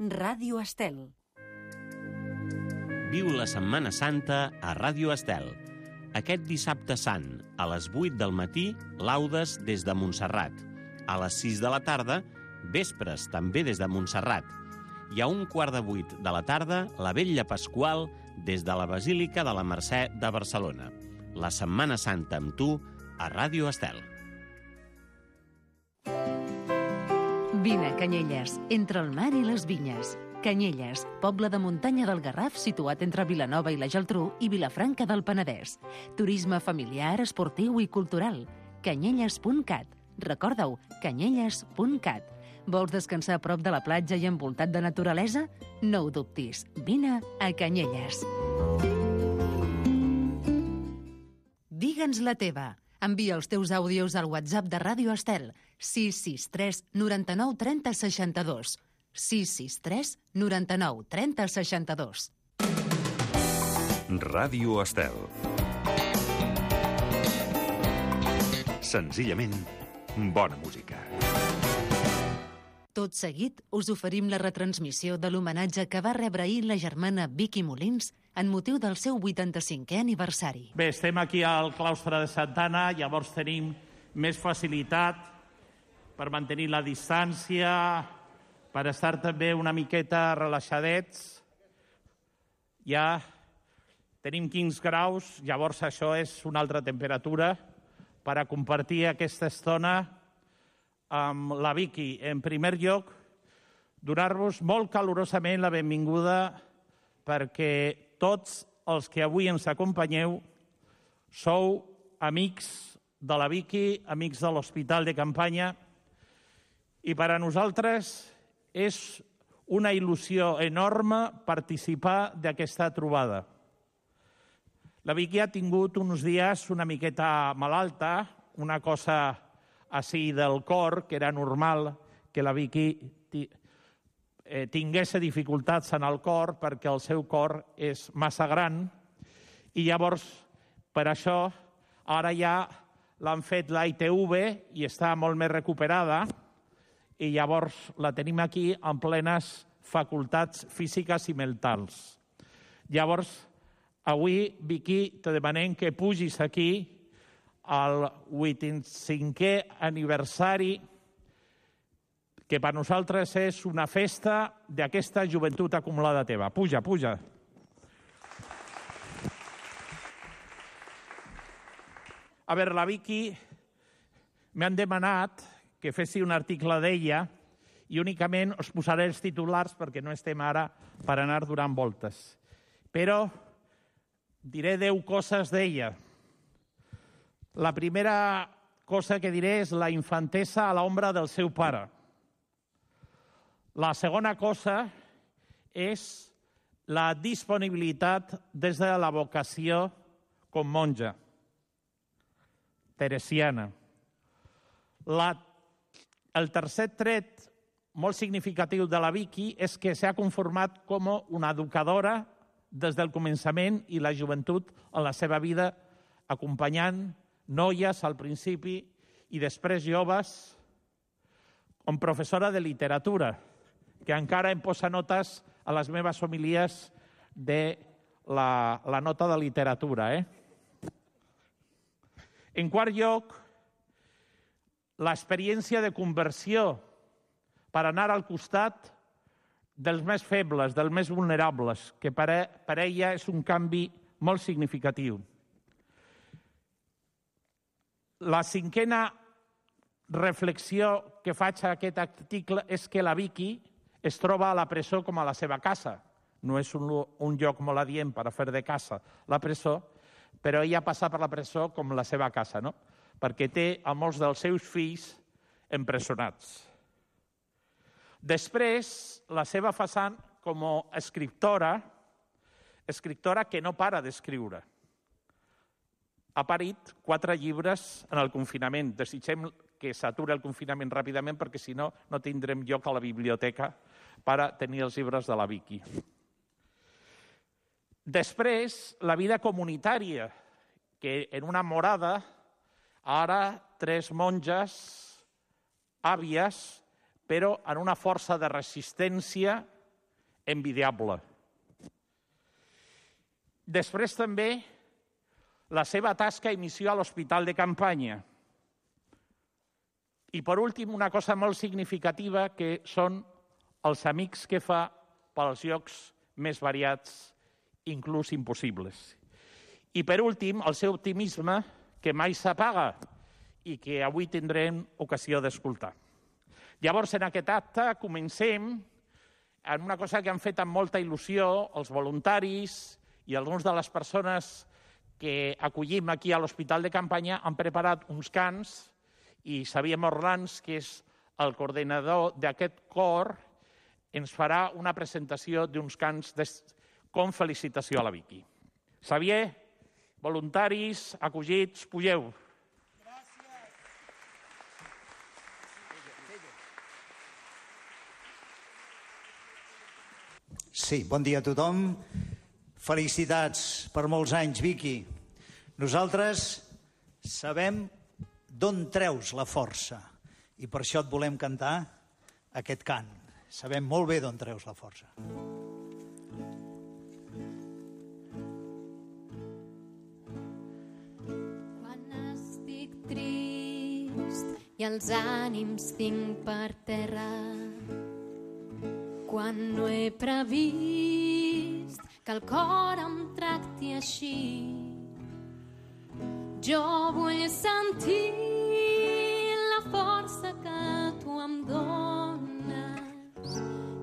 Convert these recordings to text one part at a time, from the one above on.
Ràdio Estel. Viu la Setmana Santa a Ràdio Estel. Aquest dissabte sant, a les 8 del matí, laudes des de Montserrat. A les 6 de la tarda, vespres també des de Montserrat. I a 7:15 de la tarda, la vetlla pasqual des de la Basílica de la Mercè de Barcelona. La Setmana Santa amb tu a Ràdio Estel. Vine a Canyelles, entre el mar i les vinyes. Canyelles, poble de muntanya del Garraf situat entre Vilanova i la Geltrú i Vilafranca del Penedès. Turisme familiar, esportiu i cultural. Canyelles.cat. Recorda-ho, canyelles.cat. Vols descansar a prop de la platja i envoltat de naturalesa? No ho dubtis, vine a Canyelles. Digue'ns la teva. Envia els teus àudios al WhatsApp de Ràdio Estel 663 99 30 62. 663 99 30 62. Ràdio Estel. Senzillament, bona música. Tot seguit, us oferim la retransmissió de l'homenatge que va rebre ahir la germana Vicky Molins en motiu del seu 85è aniversari. Bé, estem aquí al claustre de Santa Anna, llavors tenim més facilitat per mantenir la distància, per estar també una miqueta relaxadets. Ja tenim 15 graus, llavors això és una altra temperatura per a compartir aquesta estona amb la Vicky. En primer lloc, donar-vos molt calorosament la benvinguda perquè tots els que avui ens acompanyeu sou amics de la Vicky, amics de l'Hospital de Campanya, i per a nosaltres és una il·lusió enorme participar d'aquesta trobada. La Vicky ha tingut uns dies una miqueta malalta, una cosa així del cor, que era normal que la Vicky tingués dificultats en el cor perquè el seu cor és massa gran, i llavors per això ara ja l'han fet la ITV i està molt més recuperada, i llavors la tenim aquí en plenes facultats físiques i mentals. Llavors, avui, Vicky, te demanem que pugis aquí al 85è aniversari, que per nosaltres és una festa d'aquesta joventut acumulada teva. Puja, puja. A veure, la Vicky m'han demanat que fessi un article d'ella i únicament us posaré els titulars perquè no estem ara per anar donant voltes. Però diré 10 coses d'ella. La primera cosa que diré és la infantesa a l'ombra del seu pare. La segona cosa és la disponibilitat des de la vocació com monja teresiana. El tercer tret molt significatiu de la Vicky és que s'ha conformat com una educadora des del començament i la joventut en la seva vida, acompanyant noies al principi i després joves, com professora de literatura, que encara em posa notes a les meves homilies de la nota de literatura. En quart lloc, l'experiència de conversió per anar al costat dels més febles, dels més vulnerables, que per ella és un canvi molt significatiu. La cinquena reflexió que faig a aquest article és que la Vicky es troba a la presó com a la seva casa. No és un lloc molt adient per a fer de casa la presó, però ella passa per la presó com la seva casa, no? Perquè té a molts dels seus fills empresonats. Després, la seva façana com a escriptora que no para d'escriure. Ha parit 4 llibres en el confinament. Desitgem que s'aturi el confinament ràpidament perquè si no, no tindrem lloc a la biblioteca per a tenir els llibres de la Vicky. Després, la vida comunitària, que en una morada, ara 3 monges, àvies, però en una força de resistència envidiable. Després també la seva tasca i missió a l'Hospital de Campanya. I per últim, una cosa molt significativa que són els amics que fa pels llocs més variats, inclús impossibles. I per últim, el seu optimisme, que mai s'apaga i que avui tindrem ocasió d'escoltar. Llavors, en aquest acte, comencem en una cosa que han fet amb molta il·lusió els voluntaris i algunes de les persones que acollim aquí a l'Hospital de Campanya han preparat uns cants i Xavier Morlans, que és el coordinador d'aquest cor, ens farà una presentació d'uns cants com felicitació a la Vicky. Xavier, voluntaris, acollits, pugeu. Sí, bon dia a tothom. Felicitats per molts anys, Vicky. Nosaltres sabem d'on treus la força i per això et volem cantar aquest cant. Sabem molt bé d'on treus la força. Quan estic trist i els ànims tinc per terra, quan no he previst que el cor em tracti així, jo vull sentir la força que tu em dones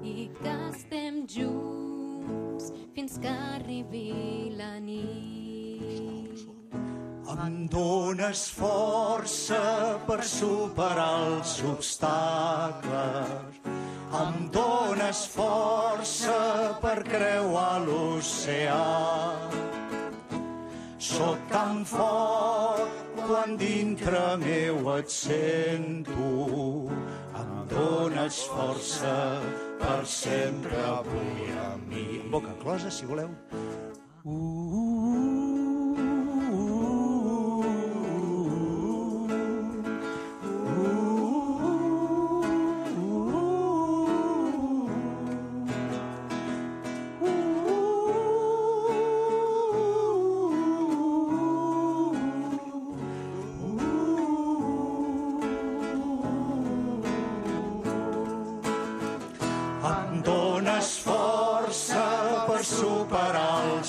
i que estem junts fins que arribi la nit. Em dones força per superar els obstacles, em dones força per creuar l'oceà. Soc tan fort quan dintre meu et sento, em dones força per sempre avui a mi. Boca closa, si voleu.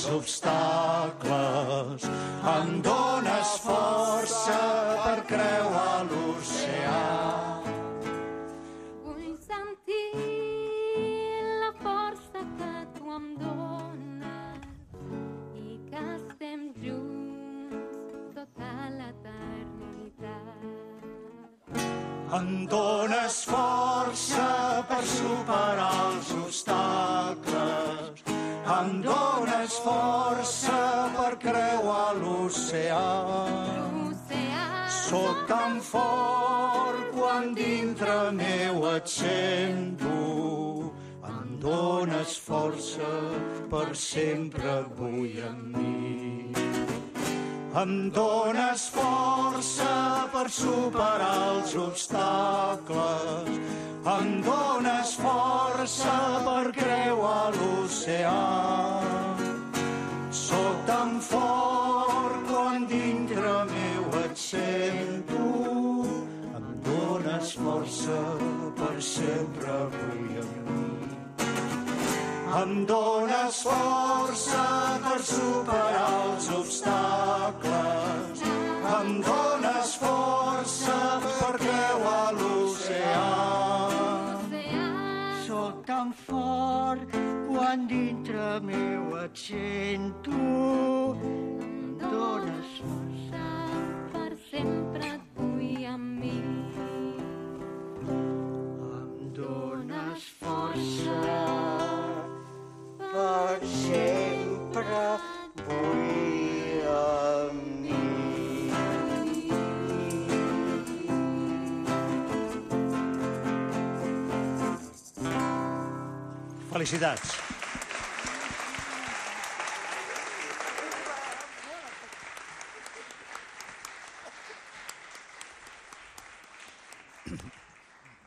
Obstacles, em dones força per creuar l'oceà. Vull sentir la força que tu em dones i que estem junts tota l'eternitat. Em dones força per superar els obstacles, em dones força per creuar l'oceà. Soc tan fort quan dintre meu et sento, em dones força per sempre avui amb mi. Em dones força per superar els obstacles, em dones força per creuar l'oceà. Soc tan fort quan dintre meu et sento, em dones força per sempre avui amb mi. Em dones força per superar els obstacles, em dones força per creuar l'oceà. Soc tan fort quan dintre meu et sento, em dones força per sempre tu i amb mi. em dones força per sempre vull amb mi. Felicitats.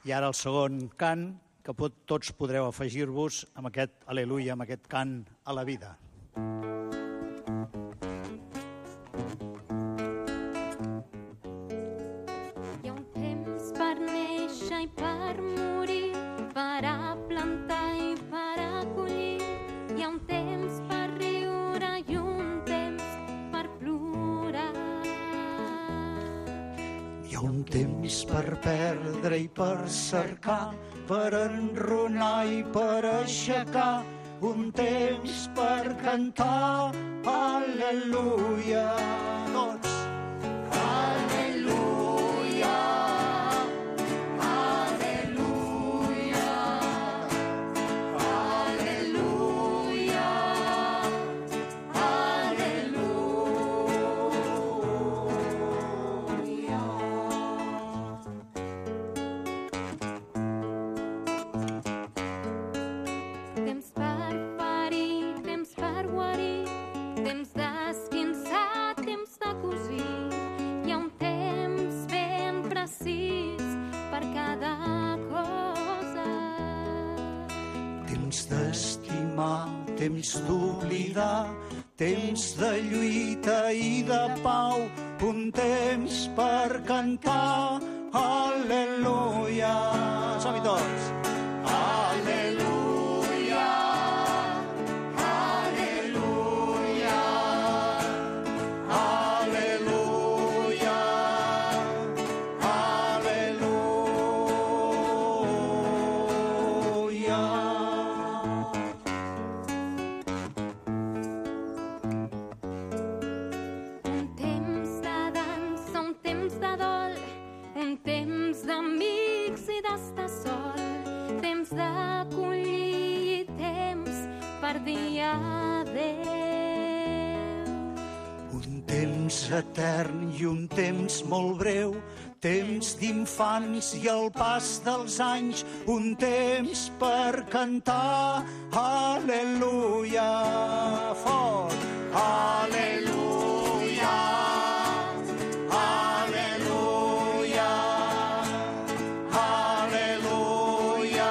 I ara el segon cant que tots podreu afegir-vos amb aquest al·leluia, amb aquest cant a la vida. Hi ha un temps per néixer i per morir, per a plantar i per a collir. Hi ha un temps per riure i un temps per plorar. Hi ha un temps per perdre i per cercar, per enrunar i per aixecar, un temps per cantar, al·leluia. Tots. Al·leluia, al·leluia, al·leluia, al·leluia. Temps per parir, temps per guarir, temps d'esquinçar, temps de cosir. Hi ha un temps ben precís per cada cosa. Temps d'estimar, temps d'oblidar, temps de lluita i de pau, un temps per cantar, al·leluia. Som-hi tots. Al·leluia, al·leluia, al·leluia, al·leluia. Un temps de dansa, un temps de dol, un temps d'amics i d'estar sol, temps d'acollir i temps per dir adéu. Un temps etern i un temps molt breu, temps d'infants i el pas dels anys, un temps per cantar, al·leluia, fort, al·leluia, al·leluia, al·leluia, al·leluia,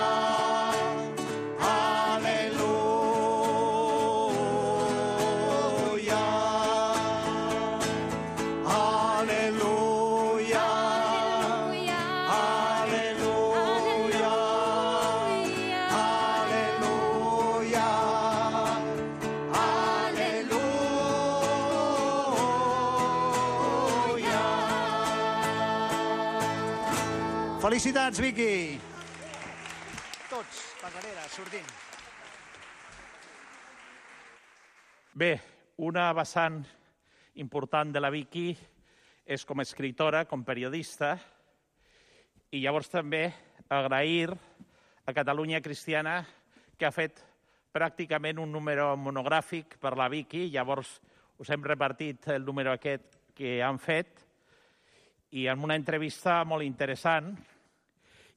al·leluia. Felicitats, Vicky! Tots, per darrere, sortint. Bé, una vessant important de la Vicky és com a escritora, com periodista, i llavors també agrair a Catalunya Cristiana que ha fet pràcticament un número monogràfic per la Vicky, llavors us hem repartit el número aquest que han fet, i en una entrevista molt interessant.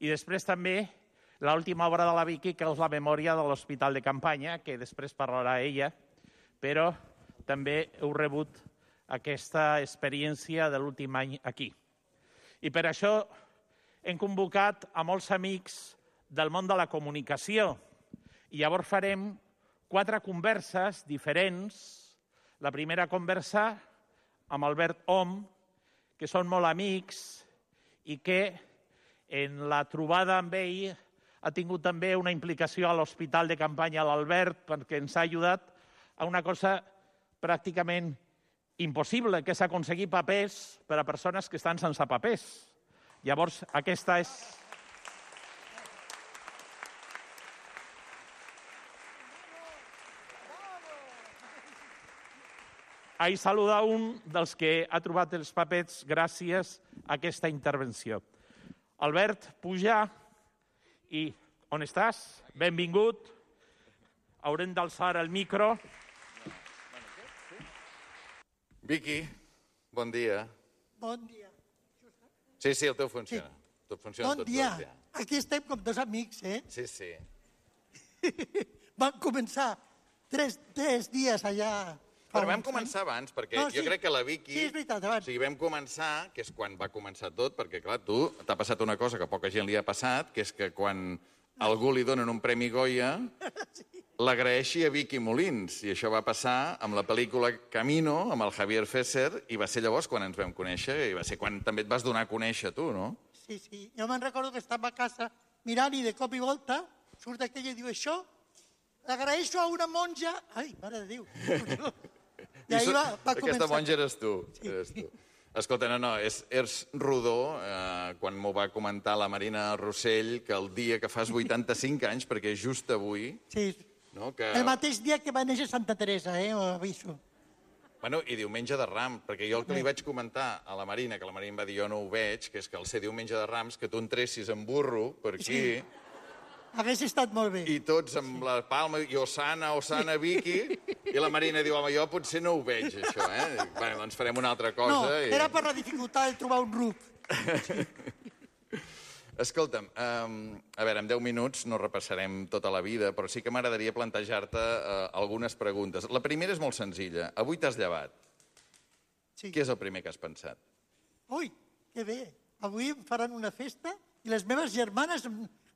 I després també l'última obra de la Vicky, que és la memòria de l'Hospital de Campanya, que després parlarà ella, però també heu rebut aquesta experiència de l'últim any aquí. I per això hem convocat a molts amics del món de la comunicació. I llavors farem 4 converses diferents. La primera conversa amb Albert Om, que són molt amics i que en la trobada amb ell ha tingut també una implicació a l'Hospital de Campanya l'Albert, perquè ens ha ajudat a una cosa pràcticament impossible, que és aconseguir papers per a persones que estan sense papers. Llavors, aquesta és... Ahí saluda un dels que ha trobat els papers gràcies a aquesta intervenció. Albert, puja i on estàs? Benvingut. Haurem d'alçar el micro. Vicky, bon dia. Bon dia. Sí, el teu funciona. Tot funciona Bon tot dia. bé. Aquí estem com 2 amics, eh? Sí. Van començar 3 dies allà... Però vam començar abans, perquè No, jo sí. crec que la Vicky... Sí, és veritat, abans. O sigui, vam començar, que és quan va començar tot, perquè, clar, tu t'ha passat una cosa que poca gent li ha passat, que és que quan algú li donen un Premi Goya, l'agraeixi a Vicky Molins. I això va passar amb la pel·lícula Camino, amb el Javier Fesser, i va ser llavors quan ens vam conèixer, i va ser quan també et vas donar a conèixer tu, no? Sí, sí. Jo me'n recordo que estava a casa mirant i de cop i volta surt aquella i diu això, l'agraeixo a una monja... Ai, mare de Déu. I ahir va començar. Aquesta monja eres tu. Sí. Eres tu. Escolta, no, és rodó, quan m'ho va comentar la Marina Rossell, que el dia que fas 85 anys, perquè just avui... Sí, no, que... el mateix dia que va néixer Santa Teresa, ho aviso. Bueno, i diumenge de Rams, perquè jo el que li vaig comentar a la Marina, que la Marina va dir jo no ho veig, que és que al ser diumenge de Rams, que tu entressis en burro per aquí... Sí. Hauria estat molt bé. I tots amb la palma, i Osana, Vicky, i la Marina diu, home, jo potser no ho veig, això, eh? Bueno, doncs farem una altra cosa. No, era per la dificultat de trobar un ruc. Escolta'm, a veure, en 10 minuts no repassarem tota la vida, però sí que m'agradaria plantejar-te algunes preguntes. La primera és molt senzilla. Avui t'has llevat. Sí. Què és el primer que has pensat? Ui, que bé. Avui em faran una festa i les meves germanes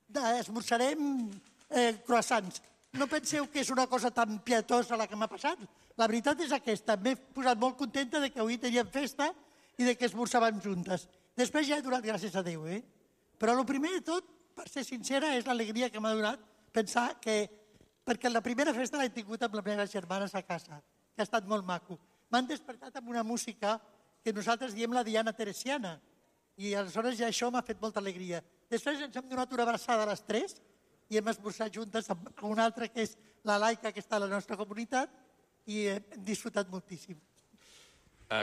esmorzarem croissants. No penseu que és una cosa tan pietosa la que m'ha passat. La veritat és aquesta. M'he posat molt contenta de que avui teníem festa i de que esmorzàvem juntes. Després ja he donat gràcies a Déu, Però el primer de tot, per ser sincera, és l'alegria que m'ha donat pensar que... Perquè la primera festa l'he tingut amb les meves germanes a casa, que ha estat molt maco. M'han despertat amb una música que nosaltres diem la Diana Teresiana, i aleshores ja això m'ha fet molta alegria. Després ens hem donat una abraçada a les 3 i hem esmorzat juntes amb una altra que és la Laica, que està a la nostra comunitat, i hem disfrutat moltíssim.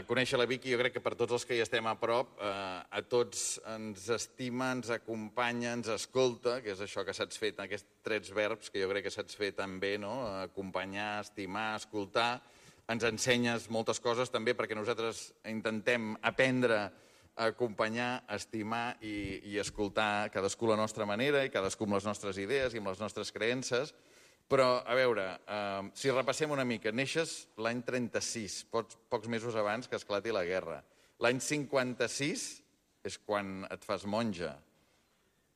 Conèixer la Vicky, jo crec que per tots els que hi estem a prop, a tots ens estima, ens acompanya, ens escolta, que és això que saps fer, aquests 3 verbs que jo crec que saps fer tan bé, no? Acompanyar, estimar, escoltar. Ens ensenyes moltes coses també perquè nosaltres intentem aprendre a acompanyar, estimar i escoltar cadascú la nostra manera i cadascú amb les nostres idees i amb les nostres creences. Però, a veure, si repassem una mica, neixes l'any 36, pocs mesos abans que esclati la guerra. L'any 56 és quan et fas monja.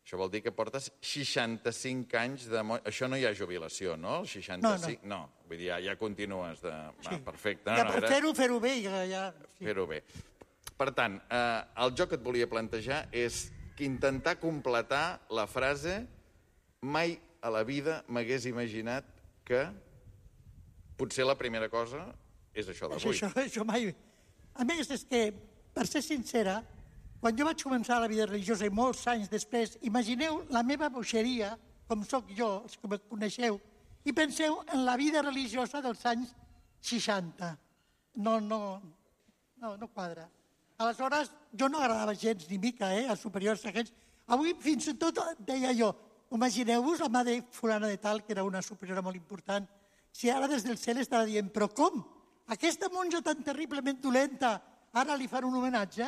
Això vol dir que portes 65 anys de monja. Això no hi ha jubilació, no? 65? No. Vull dir, ja continues de... Sí. Perfecte. Ja, per fer-ho bé. Ja... Fer-ho bé. Per tant, el joc que et volia plantejar és intentar completar la frase mai a la vida m'hagués imaginat que potser la primera cosa és això d'avui. Això mai... A més, és que, per ser sincera, quan jo vaig començar la vida religiosa i molts anys després, imagineu la meva boixeria, com sóc jo, els que me coneixeu, i penseu en la vida religiosa dels anys 60. No quadra. Aleshores, jo no agradava gens ni mica, als superiors aquests. Avui, fins i tot, deia jo, imagineu-vos la mà de fulana de tal, que era una superiora molt important, si ara des del cel estarà dient, però com? Aquesta monja tan terriblement dolenta, ara li fan un homenatge?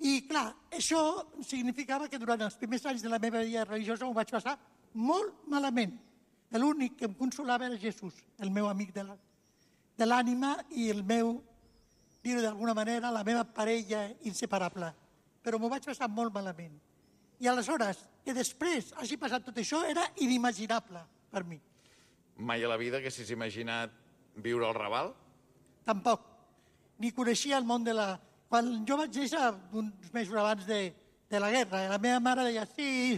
I, clar, això significava que durant els primers anys de la meva vida religiosa m'ho vaig passar molt malament. L'únic que em consolava era Jesús, el meu amic de l'ànima i el meu, dir-ho d'alguna manera, la meva parella inseparable. Però m'ho vaig passar molt malament. I aleshores, que després hagi passat tot això, era inimaginable per mi. Mai a la vida haguessis imaginat viure al Raval? Tampoc. Ni coneixia el món de la... Quan jo vaig néixer, uns mesos abans de la guerra, la meva mare deia, sí,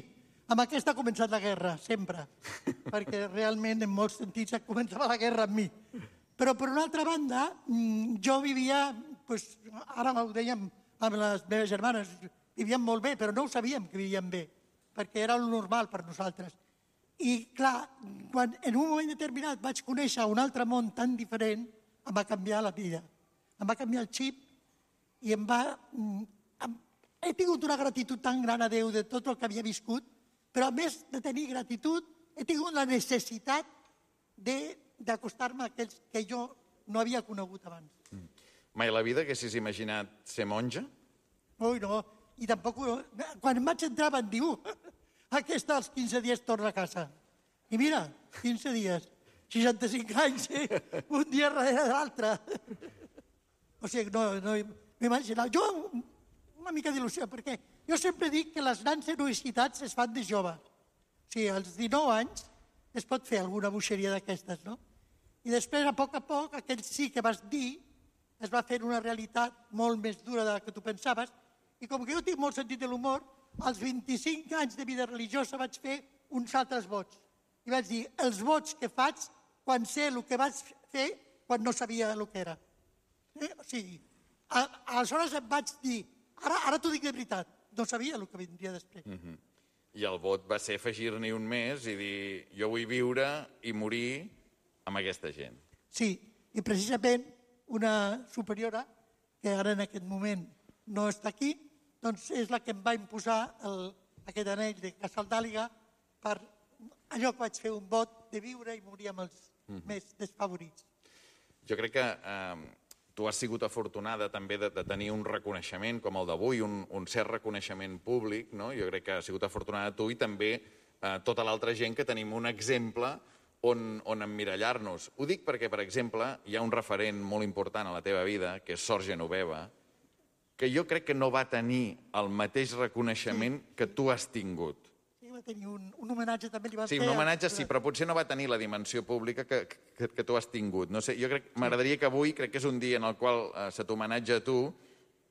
amb aquesta ha començat la guerra, sempre. Perquè realment, en molts sentits, començava la guerra amb mi. Però, per una altra banda, jo vivia, ara ho dèiem amb les meves germanes, vivíem molt bé, però no ho sabíem que vivíem bé, perquè era el normal per nosaltres. I, clar, quan en un moment determinat vaig conèixer un altre món tan diferent, em va canviar la vida. Em va canviar el xip i he tingut una gratitud tan gran a Déu de tot el que havia viscut, però a més de tenir gratitud, he tingut la necessitat d'acostar-me a aquells que jo no havia conegut abans. Mai a la vida haguessis imaginat ser monja? Ui, no. I tampoc... Quan em vaig entrar van dir, aquesta als 15 dies torna a casa. I mira, 15 dies, 65 anys, un dia darrere de l'altre. O sigui, no m'imaginava. Jo, una mica d'il·lusió, perquè jo sempre dic que les grans heroïcitats es fan de joves. O sigui, als 19 anys es pot fer alguna boixeria d'aquestes, no? I després, a poc, aquell sí que vas dir es va fer una realitat molt més dura de la que tu pensaves, i com que jo tinc molt sentit de l'humor, als 25 anys de vida religiosa vaig fer uns altres vots. I vaig dir, els vots que faig quan sé el que vaig fer quan no sabia el que era. O sigui, aleshores em vaig dir, ara t'ho dic de veritat, no sabia el que vindria després. I el vot va ser afegir-n'hi un més i dir, jo vull viure i morir amb aquesta gent. Sí, i precisament una superiora, que ara en aquest moment no està aquí, doncs és la que em va imposar aquest anell de Casal d'Àliga per allò que vaig fer un vot de viure i morir amb els més desfavorits. Jo crec que tu has sigut afortunada també de tenir un reconeixement com el d'avui, un cert reconeixement públic, no? Jo crec que has sigut afortunada tu i també tota l'altra gent que tenim un exemple on emmirallar-nos. Ho dic perquè, per exemple, hi ha un referent molt important a la teva vida, que és Sor Genoveva, que jo crec que no va tenir el mateix reconeixement que tu has tingut. Sí, va tenir un homenatge també. Li van Sí, fer un homenatge sí, però potser no va tenir la dimensió pública que tu has tingut. No sé, jo crec, m'agradaria que avui, crec que és un dia en el qual se t'homenatja a tu,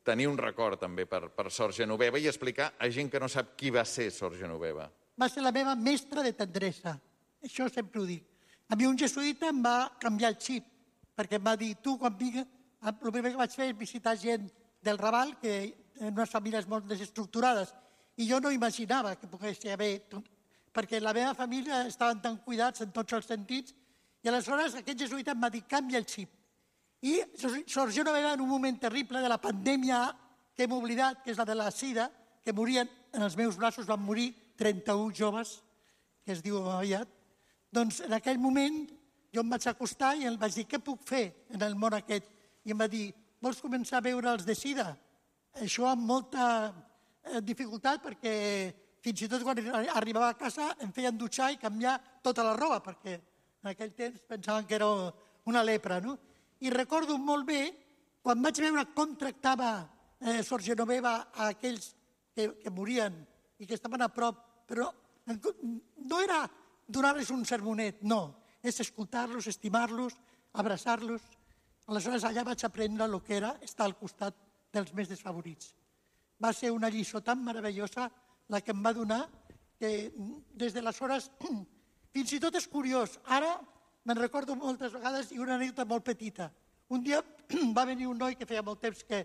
tenir un record també per Sor Genoveva i explicar a gent que no sap qui va ser Sor Genoveva. Va ser la meva mestra de tendresa. Això sempre ho dic. A mi un jesuïta em va canviar el xip, perquè em va dir, tu quan vingues, el primer que vaig fer és visitar gent del Raval, que en unes famílies molt desestructurades, i jo no imaginava que pogués haver, perquè la meva família estaven tan cuidats en tots els sentits, i aleshores aquest jesuïta em va dir, canvia el xip. I Sor Genoveva, en un moment terrible de la pandèmia que hem oblidat, que és la de la sida, que morien en els meus braços, van morir 31 joves, que es diu aviat, doncs en aquell moment jo em vaig acostar i em vaig dir, què puc fer en el món aquest? I em va dir, vols començar a veure els de sida? Això amb molta dificultat, perquè fins i tot quan arribava a casa em feien dutxar i canviar tota la roba, perquè en aquell temps pensaven que era una lepra, no? I recordo molt bé, quan vaig veure com tractava Sor Genoveva a aquells que morien i que estaven a prop, però no era donar-los un sermonet, no, és escoltar-los, estimar-los, abraçar-los. Aleshores allà vaig aprendre el que era estar al costat dels més desfavorits. Va ser una lliçó tan meravellosa la que em va donar que des d'aleshores, fins i tot és curiós, ara me'n recordo moltes vegades i una anècdota molt petita. Un dia va venir un noi que feia molt temps que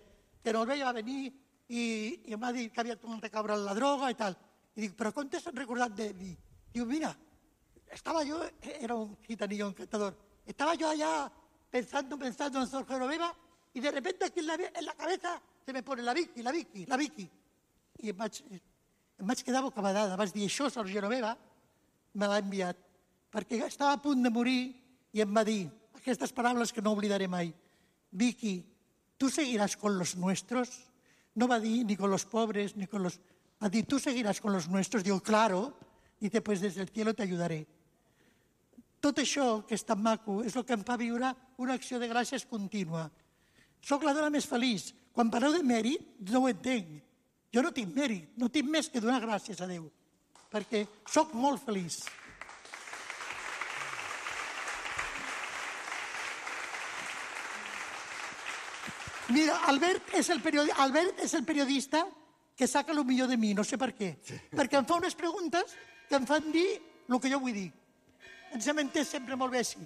no el veia, va venir i em va dir que havia tornat a caure en la droga i tal. I dic, però com t'has recordat de mi? Diu, mira, estaba yo, era un gitanillo encantador, estaba yo allá pensando en Sor Genoveva y de repente aquí en la cabeza se me pone la Vicky. I em vaig quedar bocabadada, vaig dir, això Sor Genoveva me l'ha enviat, perquè estava a punt de morir i em va dir aquestes paraules que no oblidaré mai. Vicky, ¿tú seguirás con los nuestros? No va dir ni con los pobres, ni con los... Va dir, ¿tú seguirás con los nuestros? Digo, claro. Dice, pues desde el cielo te ayudaré. Tot això, que és tan maco, és el que em fa viure una acció de gràcies contínua. Soc la dona més feliç. Quan parleu de mèrit, no ho entenc. Jo no tinc mèrit, no tinc més que donar gràcies a Déu, perquè soc molt feliç. Mira, Albert és el periodista que saca el millor de mi, no sé per què. Perquè em fa unes preguntes que em fan dir el que jo vull dir. Ens hem entès sempre molt bé així.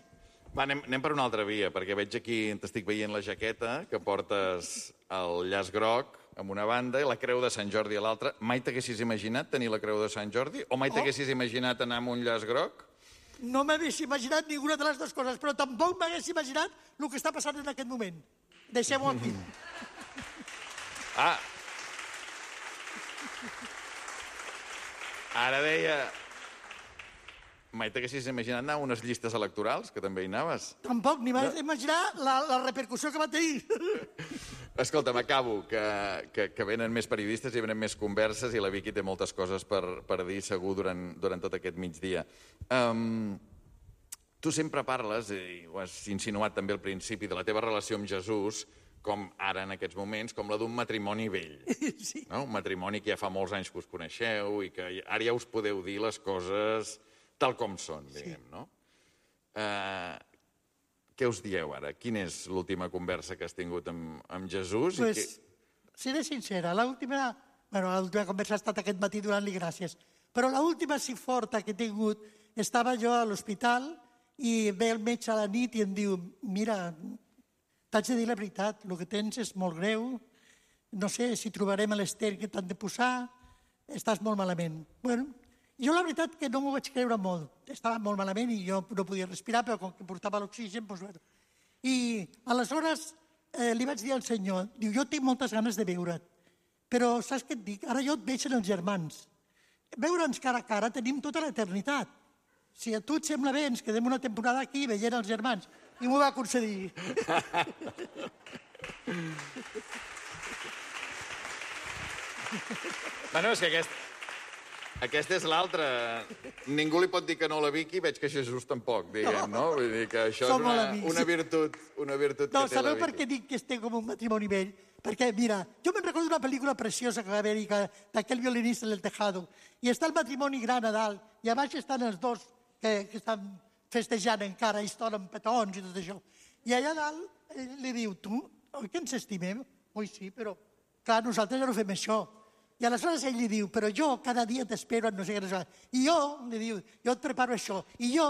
Va, anem per una altra via, perquè veig aquí, t'estic veient la jaqueta, que portes el llaç groc amb una banda i la creu de Sant Jordi a l'altra. Mai t'haguessis imaginat tenir la creu de Sant Jordi? O mai t'haguessis imaginat anar amb un llaç groc? No m'hagués imaginat ninguna de les dues coses, però tampoc m'hagués imaginat el que està passant en aquest moment. Deixem-ho aquí. Ara deia... Mai t'haguessis imaginat anar a unes llistes electorals, que també hi anaves? Tampoc, ni m'hagués imaginat la repercussió que va tenir. Escolta, m'acabo, que venen més periodistes i venen més converses i la Vicky té moltes coses per dir segur durant tot aquest migdia. Tu sempre parles, i ho has insinuat també al principi, de la teva relació amb Jesús com ara en aquests moments, com la d'un matrimoni vell. Sí. No? Un matrimoni que ja fa molts anys que us coneixeu i que ara ja us podeu dir les coses tal com són, diguem, no? Què us dieu ara? Quina és l'última conversa que has tingut amb Jesús? Pues, seré sincera, l'última conversa ha estat aquest matí donant-li gràcies, però l'última sí forta que he tingut, estava jo a l'hospital i ve el metge a la nit i em diu, mira, t'haig de dir la veritat, el que tens és molt greu, no sé si trobarem l'ester que t'han de posar, estàs molt malament. Bueno, jo la veritat que no m'ho vaig creure molt, estava molt malament i jo no podia respirar, però com que portava l'oxigen, doncs bueno. I aleshores li vaig dir al senyor, diu, jo tinc moltes ganes de veure't, però saps què et dic? Ara jo et veig en els germans. Veure'ns cara a cara tenim tota l'eternitat. Si a tu et sembla bé, ens quedem una temporada aquí veient els germans. I m'ho va concedir. Bueno, és que aquesta és l'altra. Ningú li pot dir que no a la Vicky, veig que Jesús tampoc, diguem, no? Vull dir que això Som molt és amics. una virtut que té la Vicky. Sabeu per què dic que estem com un matrimoni vell? Perquè, mira, jo me'n recordo una pel·lícula preciosa que va haver-hi d'aquell violinista del Tejado, i està el matrimoni gran a dalt, i a baix estan els dos que estan festejant encara, i es donen petons i tot això. I allà dalt li diu, tu, oi que ens estimem? Oi, sí, però, clar, nosaltres ja no fem això. I aleshores ell li diu, però jo cada dia t'espero en no sé què, no sé què. I jo, li diu, jo et preparo això. I jo,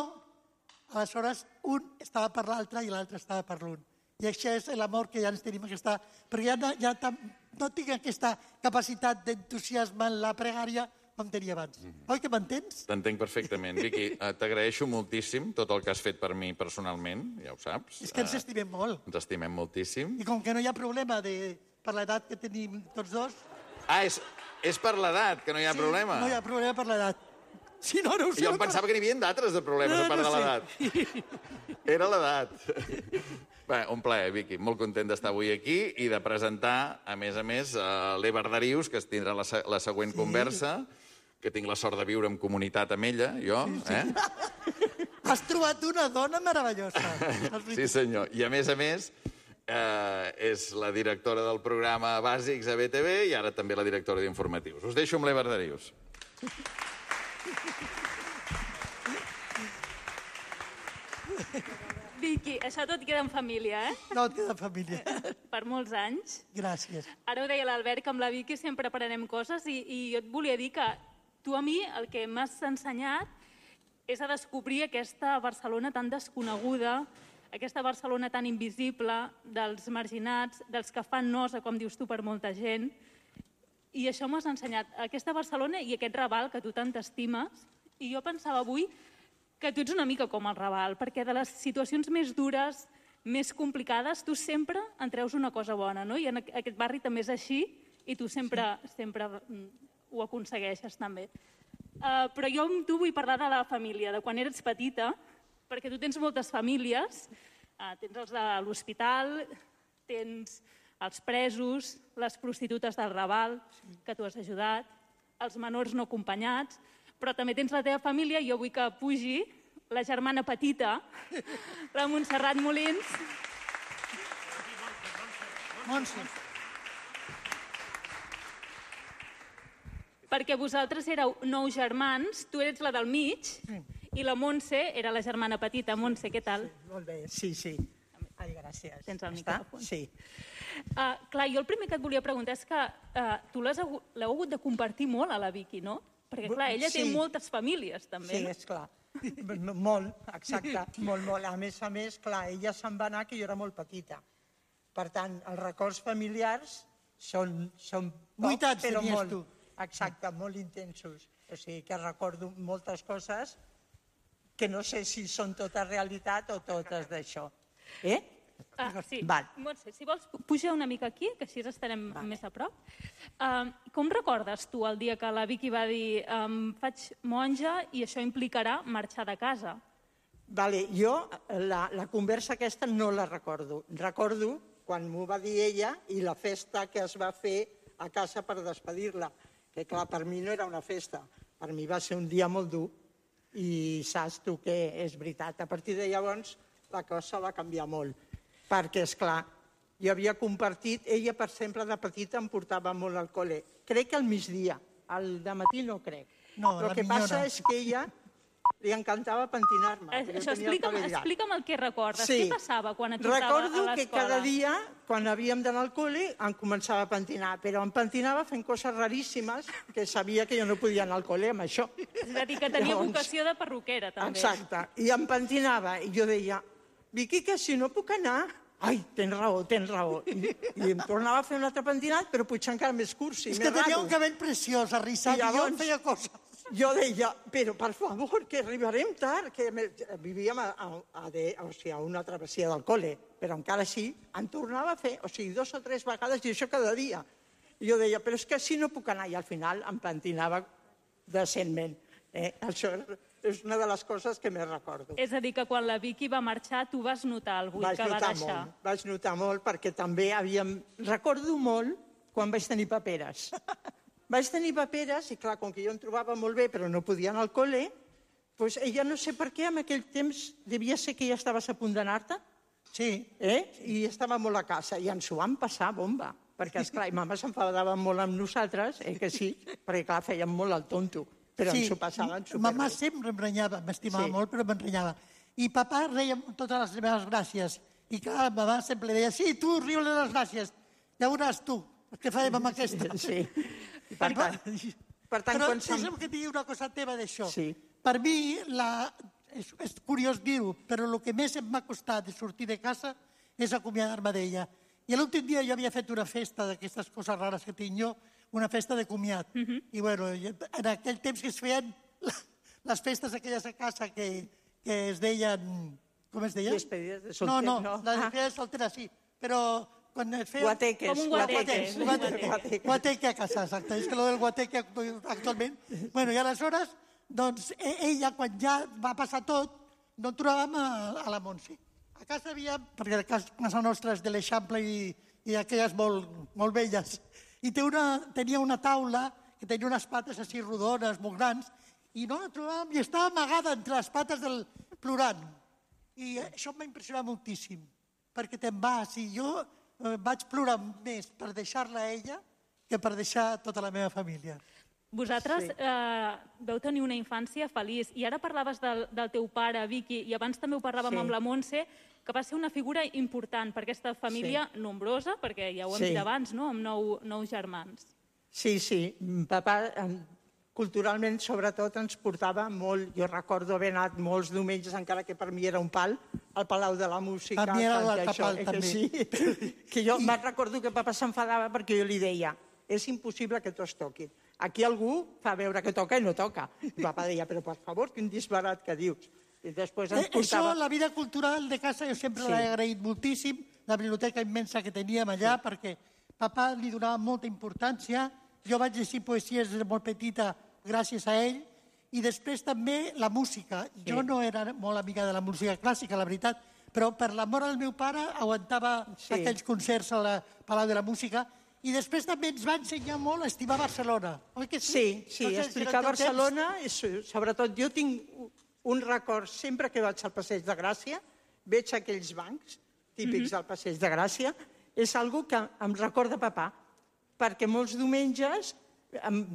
aleshores, un estava per l'altre i l'altre estava per l'un. I això és l'amor que ja ens tenim, perquè ja no tinc aquesta capacitat d'entusiasme en la pregària com tenia abans. Oi que m'entens? T'entenc perfectament. Vicky, t'agraeixo moltíssim tot el que has fet per mi personalment, ja ho saps. És que ens estimem molt. Ens estimem moltíssim. I com que no hi ha problema per l'edat que tenim tots dos... Ah, és per l'edat, que no hi ha problema? No hi ha problema per l'edat. Si no, no ho sé. Jo em pensava que n'hi havia d'altres de problemes a part de l'edat. Era l'edat. Bé, un plaer, Vicky. Molt content d'estar avui aquí i de presentar, a més, l'Evar Darius, que tindrà la següent conversa, que tinc la sort de viure en comunitat amb ella, jo. Has trobat una dona meravellosa. Sí, senyor. I, a més, és la directora del programa Bàsics a BTV i ara també la directora d'Informatius. Us deixo amb l'Evar Darius. Vicky, això tot queda en família, eh? No, et queda en família. Per molts anys. Gràcies. Ara ho deia l'Albert, que amb la Vicky sempre aprenem coses i jo et volia dir que tu a mi el que m'has ensenyat és a descobrir aquesta Barcelona tan desconeguda, aquesta Barcelona tan invisible, dels marginats, dels que fan nosa, com dius tu, per molta gent. I això m'has ensenyat, aquesta Barcelona i aquest Raval que tu tant t'estimes. I jo pensava avui que tu ets una mica com el Raval, perquè de les situacions més dures, més complicades, tu sempre en treus una cosa bona, no? I en aquest barri també és així i tu sempre ho aconsegueixes també. Però jo amb tu vull parlar de la família, de quan eres petita, perquè tu tens moltes famílies, tens els de l'hospital, tens els presos, les prostitutes del Raval, que tu has ajudat, els menors no acompanyats, però també tens la teva família i jo vull que pugi la germana petita, la Montserrat Molins. Montse. Perquè vosaltres éreu 9 germans, tu eres la del mig, i la Montse era la germana petita. Montse, què tal? Molt bé, sí. Ai, gràcies. Tens el micròfon. Sí. Clar, jo el primer que et volia preguntar és que tu l'heu hagut de compartir molt a la Vicky, no? Perquè, clar, ella té moltes famílies, també. Sí, esclar. Molt, exacte, molt. A més, clar, ella se'n va anar que jo era molt petita. Per tant, els records familiars són pocs, però molt. Exacte, molt intensos. O sigui que recordo moltes coses que no sé si són totes realitat o totes d'això. Sí. Montse, si vols, puja una mica aquí, que així estarem més a prop. Com recordes tu el dia que la Vicky va dir faig monja i això implicarà marxar de casa? Jo la conversa aquesta no la recordo. Recordo quan m'ho va dir ella i la festa que es va fer a casa per despedir-la. Que clar, per mi no era una festa, per mi va ser un dia molt dur i saps tu que és veritat. A partir de llavors la cosa va canviar molt, perquè, esclar, i havia compartit, ella per sempre de petita em portava molt al col·le. Crec que al migdia, al dematí no crec. No, el que passa és que ella li encantava pentinar-me. Explica'm el que recordes. Què passava quan et portava a l'escola? Recordo que cada dia, quan havíem d'anar al col·le, em començava a pentinar, però em pentinava fent coses raríssimes que sabia que jo no podia anar al col·le amb això. És a dir, que tenia vocació de perruquera, també. Exacte. I em pentinava, i jo deia, Vicky, que si no puc anar... Ai, tens raó, tens raó. I em tornava a fer un altre pentinat, però potser encara més curt, és que tenia un cabell preciós, arrissat, i jo feia coses. Jo deia, però per favor, que arribarem tard, que vivíem a una travessia del col·le, però encara així em tornava a fer, 2 o 3 vegades, i això cada dia. I jo deia, però és que així no puc anar, i al final em pentinava decentment. Això és una de les coses que més recordo. És a dir, que quan la Vicky va marxar, tu vas notar el buit que va deixar. Vaig notar molt, perquè també recordo molt quan vaig tenir paperes. Vaig tenir paperes, i clar, com que jo em trobava molt bé, però no podia anar al col·le, doncs ella no sé per què, en aquell temps devia ser que ja estaves a punt d'anar-te. Sí. I estava molt a casa, i ens ho vam passar bomba, perquè, esclar, i mama s'enfadava molt amb nosaltres, que sí, perquè, clar, fèiem molt el tonto, però ens ho passaven superbé. Mama sempre em renyava, m'estimava molt, però em renyava. I papa reia totes les meves gràcies. I clar, mama sempre deia, sí, tu riu-li les gràcies, ja veuràs tu, què farem amb aquesta. Sí. Per tant, però deixa'm que et digui una cosa teva d'això. Per mi, és curiós dir-ho, però el que més em m'ha costat de sortir de casa és acomiadar-me d'ella. I l'últim dia jo havia fet una festa d'aquestes coses rares que tinc jo, una festa de comiat. I bueno, en aquell temps que es feien les festes aquelles a casa que es deien... Com es deien? Despedides de solter, no? No, les despedides de soltera sí, però... Guateques. Com un guateque. Guateque a casa, exacte. És que lo del guateque actualment... Bueno, i aleshores, doncs, ella, quan ja va passar tot, no trobàvem a la Montse. A casa havia, perquè a casa nostra és de l'Eixample i aquelles molt velles, i tenia una taula que tenia unes pates així rodones, molt grans, i no la trobàvem i estava amagada entre les pates del plorant. I això em va impressionar moltíssim, perquè te'n vas i jo vaig plorar més per deixar-la a ella que per deixar tota la meva família. Vosaltres vau tenir una infància feliç i ara parlaves del teu pare, Vicky, i abans també ho parlàvem amb la Montse, que va ser una figura important per aquesta família nombrosa, perquè ja ho hem dit abans, no? Amb 9 germans. Sí, papa culturalment, sobretot, ens portava molt. Jo recordo haver anat molts diumenges, encara que per mi era un pal, al Palau de la Música. Per mi era l'altre pal, també. Que jo me'n recordo que papa s'enfadava perquè jo li deia és impossible que tots toquin. Aquí algú fa veure que toca i no toca. I papa deia, però per favor, quin disbarat que dius. I després ens portava... Això, la vida cultural de casa, jo sempre l'he agraït moltíssim, la biblioteca immensa que teníem allà, perquè papa li donava molta importància. Jo vaig llegir poesies des de molt petita gràcies a ell, i després també la música. Jo no era molt amiga de la música clàssica, la veritat, però per l'amor al meu pare aguantava aquells concerts al Palau de la Música, i després també ens va ensenyar molt a estimar Barcelona. Oi que sí? Sí, explicar Barcelona, sobretot jo tinc un record, sempre que vaig al Passeig de Gràcia, veig aquells bancs típics del Passeig de Gràcia, és algo que em recorda papà, perquè molts diumenges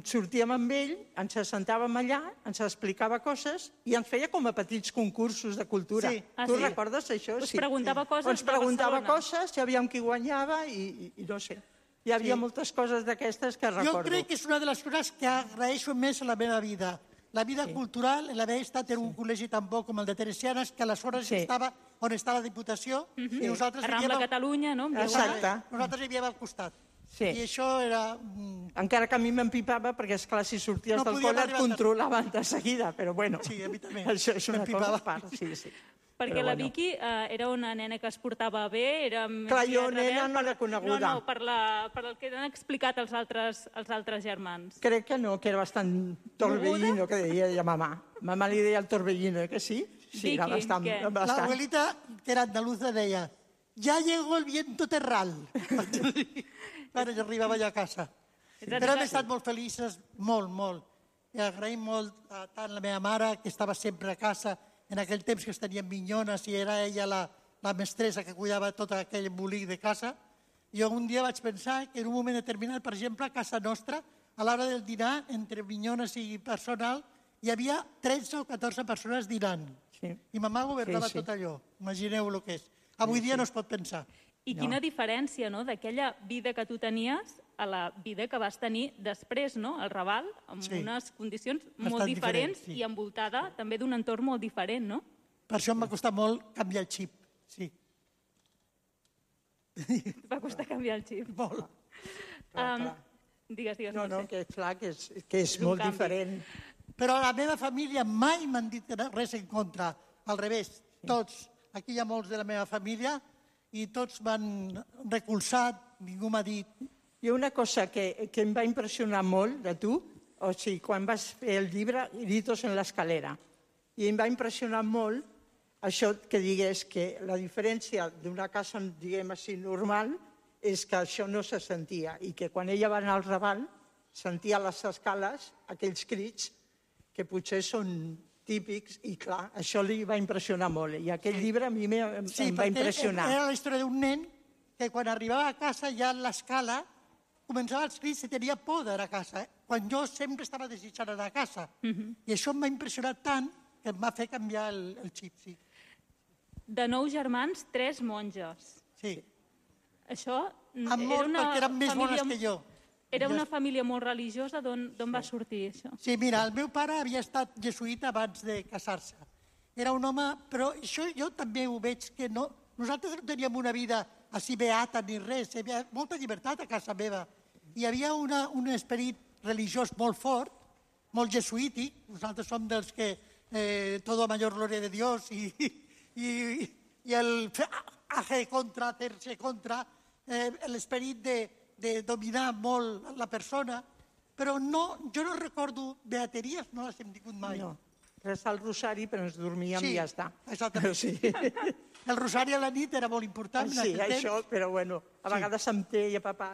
sortíem amb ell, ens assentàvem allà, ens explicava coses i ens feia com a petits concursos de cultura. Tu recordes això? Us preguntava coses de Barcelona. Ens preguntava coses, sabíem qui guanyava i no sé. Hi havia moltes coses d'aquestes que recordo. Jo crec que és una de les coses que agraeixo més a la meva vida. La vida cultural, l'haver estat en un col·legi tan bo com el de Teresianes, que aleshores estava on està la Diputació, i nosaltres vivíem... Rambla Catalunya, no? Exacte. Nosaltres vivíem al costat. I això era... Encara que a mi m'empipava, perquè, esclar, si sorties del col·le et controlaven de seguida, però bueno... Sí, a mi també. Això és una cosa a part, sí. Perquè la Vicky era una nena que es portava bé, era... Clar, jo nena no l'he coneguda. No, per el que han explicat els altres germans. Crec que no, que era bastant torbellino, que deia mamà. Mamà li deia el torbellino, que sí? Sí, era bastant. La abuelita, que era andaluza, deia «Ya llegó el viento terral». Quan jo arribava allà a casa. Però hem estat molt felices, molt. I agraïm molt tant la meva mare, que estava sempre a casa, en aquell temps que es tenien minyones i era ella la mestressa que cuidava tot aquell embolic de casa, Jo un dia vaig pensar que en un moment determinat, per exemple, a casa nostra, a l'hora del dinar, entre minyones i personal, hi havia 13 o 14 persones dinant. Sí. I ma mare governava tot allò. Imagineu el que és. Avui dia no es pot pensar. I quina diferència, no?, d'aquella vida que tu tenies a la vida que vas tenir després, no?, al Raval, amb unes condicions molt diferents i envoltada també d'un entorn molt diferent, no? Per això em va costar molt canviar el xip, sí. Va costar canviar el xip. Molt. Digues, no, que és clar que és molt diferent. Però a la meva família mai m'han dit res en contra. Al revés, tots. Aquí hi ha molts de la meva família i tots m'han recolzat, ningú m'ha dit... Hi ha una cosa que em va impressionar molt de tu, o sigui, quan vas fer el llibre Gritos en l'escalera, i em va impressionar molt això que digués que la diferència d'una casa, diguem així, normal, és que això no se sentia i que quan ella va anar al Raval sentia a les escales aquells crits que potser són típics i clar, això li va impressionar molt i aquell llibre a mi em va impressionar. Era la història d'un nen que quan arribava a casa ja a l'escala començava els crits i tenia por d'anar a casa, quan jo sempre estava desitjant anar a casa. I això em va impressionar tant que em va fer canviar el xip, sí. De 9 germans, 3 monges. Sí. Això perquè eren més bones que jo. Era una família molt religiosa, d'on va sortir això? Sí, mira, el meu pare havia estat jesuïta abans de casar-se. Era un home, però això jo també ho veig que no... Nosaltres no teníem una vida així beata ni res, hi havia molta llibertat a casa meva. Hi havia un esperit religiós molt fort, molt jesuític, nosaltres som dels que todo a mayor gloria de Dios i el hacer contra, hacerse contra, l'esperit de dominar molt la persona, però jo no recordo beateries, no les hem tingut mai. No, resar el rosari, però ens dormíem i ja està. Exactament. El rosari a la nit era molt important en aquell temps. Sí, això, però bueno, a vegades em deia, papa,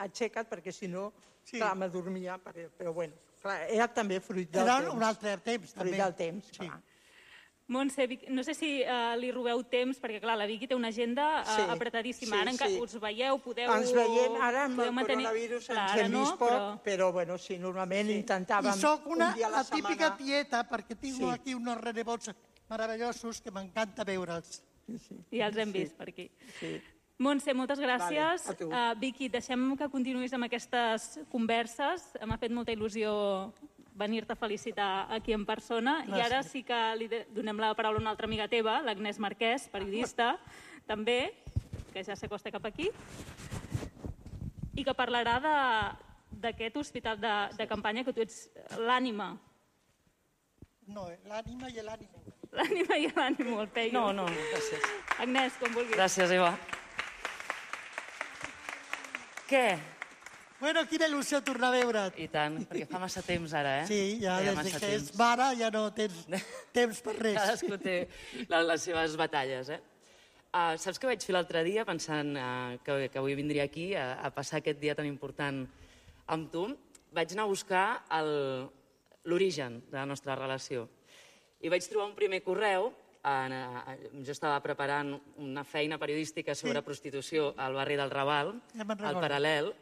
aixeca't, perquè si no, clar, m'adormia, però bueno, clar, era també fruit del temps. Era un altre temps, també. Fruit del temps, clar. Montse, no sé si li robeu temps, perquè clar, la Vicky té una agenda apretadíssima. Ara us veieu, podeu... Ens veiem ara amb el coronavirus, ens hem vist poc, però bueno, sí, normalment intentàvem un dia a la setmana. I soc la típica tieta, perquè tinc aquí uns renebots meravellosos que m'encanta veure'ls. Ja els hem vist per aquí. Montse, moltes gràcies. Vicky, deixem que continuïs amb aquestes converses. M'ha fet molta il·lusió venir-te a felicitar aquí en persona. I ara sí que li donem la paraula a una altra amiga teva, l'Agnès Marquès, periodista, també, que ja s'acosta cap aquí, i que parlarà d'aquest hospital de campanya que tu ets l'ànima. No, l'ànima i l'ànimo. L'ànima i l'ànimo, el peio. No, gràcies. Agnès, com vulguis. Gràcies, Eva. Què? Bueno, quina il·lusió tornar a veure't. I tant, perquè fa massa temps ara, eh? Sí, ja des que és mare ja no tens temps per res. Cadascú té les seves batalles, eh? Saps què vaig fer l'altre dia pensant que avui vindria aquí a passar aquest dia tan important amb tu? Vaig anar a buscar l'origen de la nostra relació. I vaig trobar un primer correu, jo estava preparant una feina periodística sobre prostitució al barri del Raval, al Paral·lel,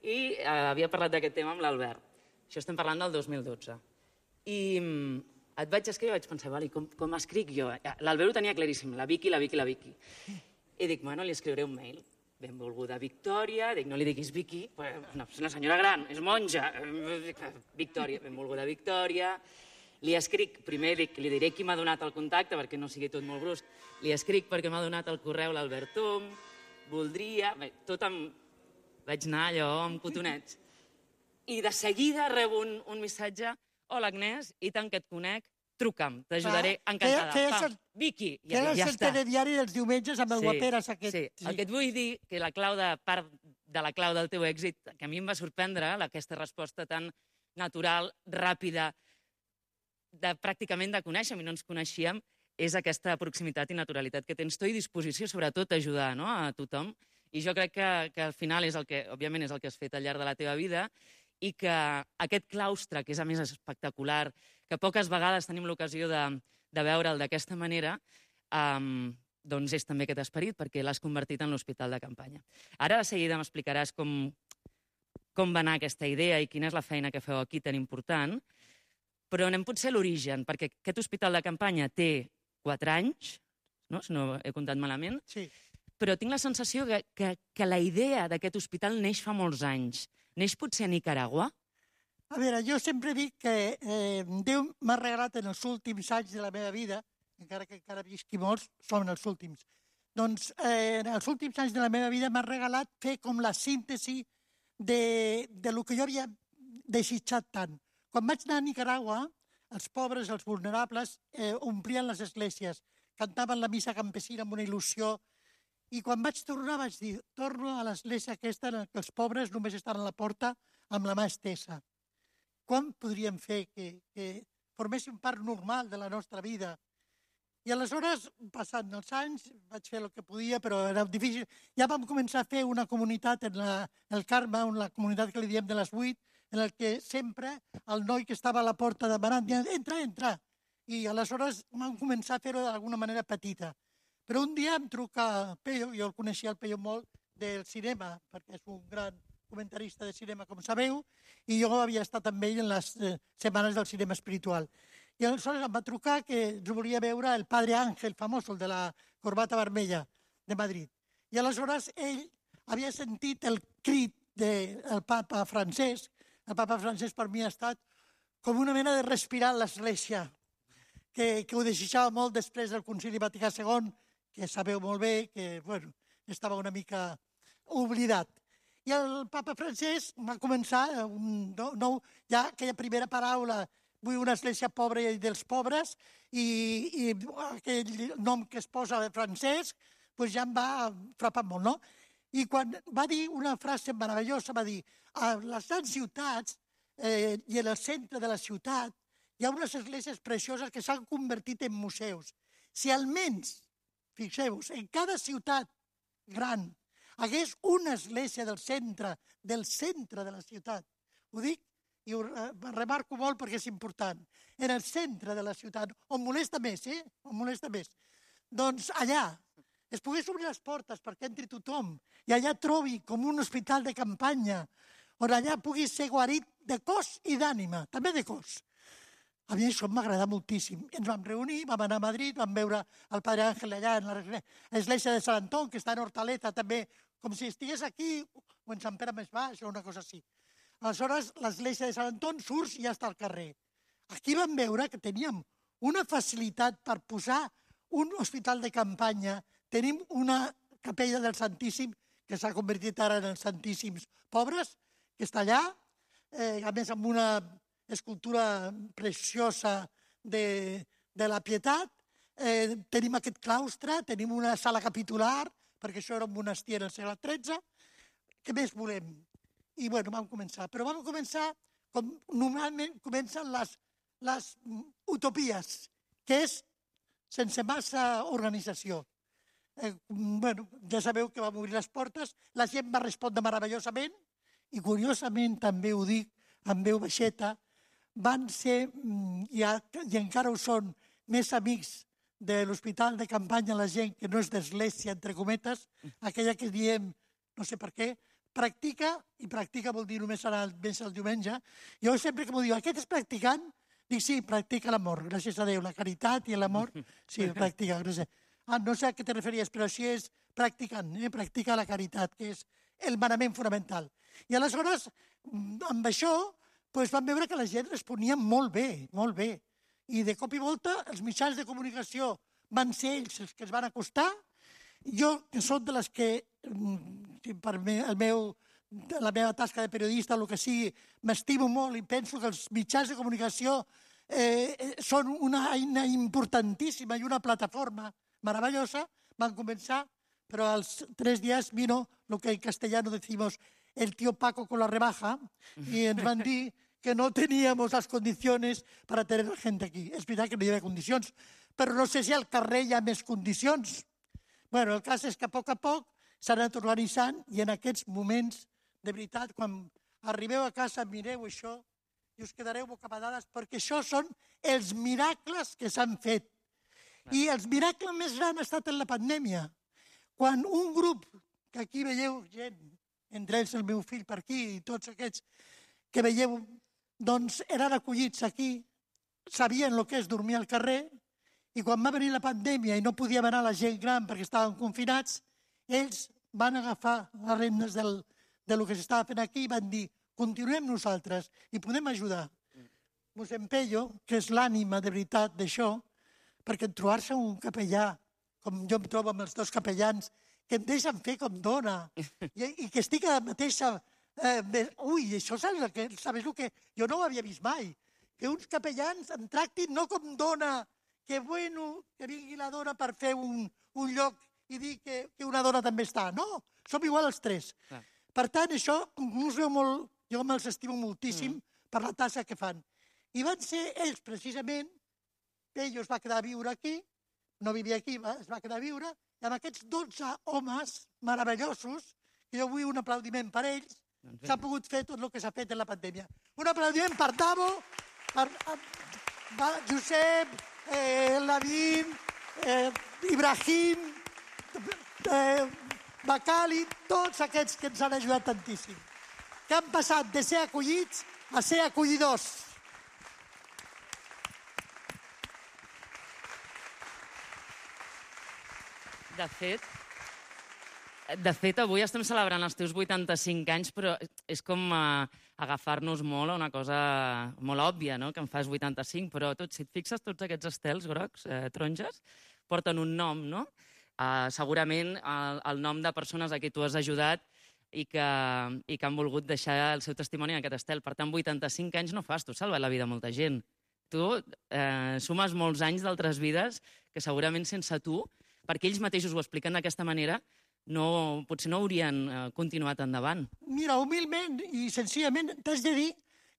i havia parlat d'aquest tema amb l'Albert. Això estem parlant del 2012. I et vaig escriure i vaig pensar, com escric jo? L'Albert ho tenia claríssim, la Vicky. I dic, bueno, li escriuré un mail. Benvolguda Victòria, dic, no li diguis Vicky, és una senyora gran, és monja. Victòria, benvolguda Victòria. Li escric, primer li diré qui m'ha donat el contacte, perquè no sigui tot molt brusc. Li escric perquè m'ha donat el correu l'Albert Tom, voldria... Tot amb... Vaig anar allò amb cotonets. I de seguida rebo un missatge. Hola, Agnès, i tant que et conec, truca'm, t'ajudaré encantada. Vicky, ja està. Feies el telediari dels diumenges amb el guaperes aquest. Sí, el que et vull dir, que part de la clau del teu èxit, que a mi em va sorprendre, aquesta resposta tan natural, ràpida, pràcticament de conèixer, i no ens coneixíem, és aquesta proximitat i naturalitat que tens tu i disposició, sobretot, a ajudar a tothom. I jo crec que al final és el que, òbviament, és el que has fet al llarg de la teva vida i que aquest claustre, que és a més espectacular, que poques vegades tenim l'ocasió de veure'l d'aquesta manera, doncs és també aquest esperit, perquè l'has convertit en l'hospital de campanya. Ara de seguida m'explicaràs com va anar aquesta idea i quina és la feina que feu aquí tan important, però anem potser a l'origen, perquè aquest hospital de campanya té 4 anys, no? Si no he comptat malament, Sí. però tinc la sensació que la idea d'aquest hospital neix fa molts anys. Neix potser a Nicaragua? A veure, jo sempre dic que Déu m'ha regalat en els últims anys de la meva vida, encara que encara visqui molts, són els últims. Doncs en els últims anys de la meva vida m'ha regalat fer com la síntesi de lo que jo havia desitjat tant. Quan vaig anar a Nicaragua, els pobres, els vulnerables, omplien les esglésies, cantaven la missa campesina amb una il·lusió, i quan vaig tornar vaig dir, torno a l'església aquesta en què els pobres només estan a la porta amb la mà estesa. Quan podríem fer que forméssim part normal de la nostra vida? I aleshores, passant els anys, vaig fer el que podia, però era difícil. Ja vam començar a fer una comunitat en el Carme, la comunitat que li diem de les 8, en el que sempre el noi que estava a la porta demanant, entra, entra. I aleshores vam començar a fer-ho d'alguna manera petita. Però un dia em truca Peyo, jo el coneixia el Peyo molt del cinema, perquè és un gran comentarista de cinema, com sabeu, i jo havia estat amb ell en les setmanes del cinema espiritual. I aleshores em va trucar que ens volia veure el Padre Ángel, famós, el de la corbata vermella de Madrid. I aleshores ell havia sentit el crit del papa Francesc. El papa Francesc per mi ha estat com una mena de respirar l'església, que ho desitjava molt després del Concili Vaticà II, que sabeu molt bé que estava una mica oblidat. I el papa Francesc va començar ja aquella primera paraula, vull una església pobra i dels pobres, i aquell nom que es posa de Francesc, ja em va frapar molt, no? I quan va dir una frase meravellosa, va dir, a les grans ciutats i en el centre de la ciutat hi ha unes esglésies precioses que s'han convertit en museus. Si almenys, fixeu-vos, en cada ciutat gran hagués una església del centre de la ciutat, ho dic i ho remarco molt perquè és important, en el centre de la ciutat, on molesta més, on molesta més, doncs allà es pogués obrir les portes perquè entri tothom i allà trobi com un hospital de campanya on allà pugui ser guarit de cos i d'ànima, també de cos. A mi això m'agrada moltíssim. Ens vam reunir, vam anar a Madrid, vam veure el Padre Ángel allà en l'església de Sant Antón, que està en Hortaleza també, com si estigués aquí o en Sant Pere més baix o una cosa així. Aleshores, l'església de Sant Antón surts i ja està al carrer. Aquí vam veure que teníem una facilitat per posar un hospital de campanya. Tenim una capella del Santíssim, que s'ha convertit ara en els Santíssims Pobres, que està allà, a més amb una escultura preciosa de la Pietat. Tenim aquest claustre, tenim una sala capitular, perquè això era un monestir en el segle XIII. Què més volem? I vam començar. Però vam començar com normalment comencen les utopies, que és sense massa organització. Ja sabeu que vam obrir les portes, la gent va respondre meravellosament i curiosament també ho dic amb veu baixeta, van ser, i encara ho són, més amics de l'hospital de campanya la gent que no és d'església, entre cometes, aquella que diem, no sé per què, practica, i practica vol dir només anar més el diumenge. Jo sempre que m'ho diu, aquest és practicant? Dic, sí, practica l'amor, gràcies a Déu, la caritat i l'amor, sí, practica, gràcies. No sé a què te referies, però així és practicant, practica la caritat, que és el manament fonamental. I aleshores, amb això, vam veure que la gent responia molt bé, molt bé. I de cop i volta els mitjans de comunicació van ser ells els que es van acostar. Jo, que soc de les que, per la meva tasca de periodista o el que sigui, m'estimo molt i penso que els mitjans de comunicació són una eina importantíssima i una plataforma meravellosa, van començar, però als 3 dies vino lo que en castellano decimos el tío Paco con la rebaja y ens van dir que no teníamos las condiciones para tener la gente aquí. És veritat que no hi havia condicions, però no sé si al carrer hi ha més condicions. El cas és que a poc s'han anat organitzant i en aquests moments, de veritat, quan arribeu a casa, mireu això i us quedareu bocabadades perquè això són els miracles que s'han fet. I el miracle més gran ha estat en la pandèmia. Quan un grup, que aquí veieu gent, entre ells el meu fill per aquí i tots aquests que veieu, doncs eren acollits aquí, sabien el que és dormir al carrer, i quan va venir la pandèmia i no podíem anar la gent gran perquè estaven confinats, ells van agafar les regnes del que s'estava fent aquí i van dir, continuem nosaltres i podem ajudar. Mossèn Pello, que és l'ànima de veritat d'això, perquè trobar-se un capellà, com jo em trobo amb els dos capellans, que em deixen fer com dona, i que estic a la mateixa... Ui, això sabes el que... Jo no ho havia vist mai. Que uns capellans em tractin no com dona, que bueno, que vingui la dona per fer un lloc i dir que una dona també està. No, som igual els tres. Per tant, això us veu molt... Jo me'ls estimo moltíssim per la tasca que fan. I van ser ells, precisament, Pello es va quedar a viure aquí, no vivia aquí, es va quedar a viure, i amb aquests 12 homes meravellosos, que jo vull un aplaudiment per ells, s'ha pogut fer tot el que s'ha fet en la pandèmia. Un aplaudiment per Davo, per Josep, Lavín, Ibrahim, Bacali, tots aquests que ens han ajudat tantíssim, que han passat de ser acollits a ser acollidors. De fet, avui estem celebrant els teus 85 anys, però és com agafar-nos molt a una cosa molt òbvia, no?, que en fas 85, però si et fixes, tots aquests estels grocs, taronges, porten un nom, no? Segurament el nom de persones a qui tu has ajudat i que han volgut deixar el seu testimoni en aquest estel. Per tant, 85 anys no fas, tu has salvat la vida a molta gent. Tu sumes molts anys d'altres vides que segurament sense tu, perquè ells mateixos ho expliquen d'aquesta manera, potser no haurien continuat endavant. Mira, humilment i senzillament t'haig de dir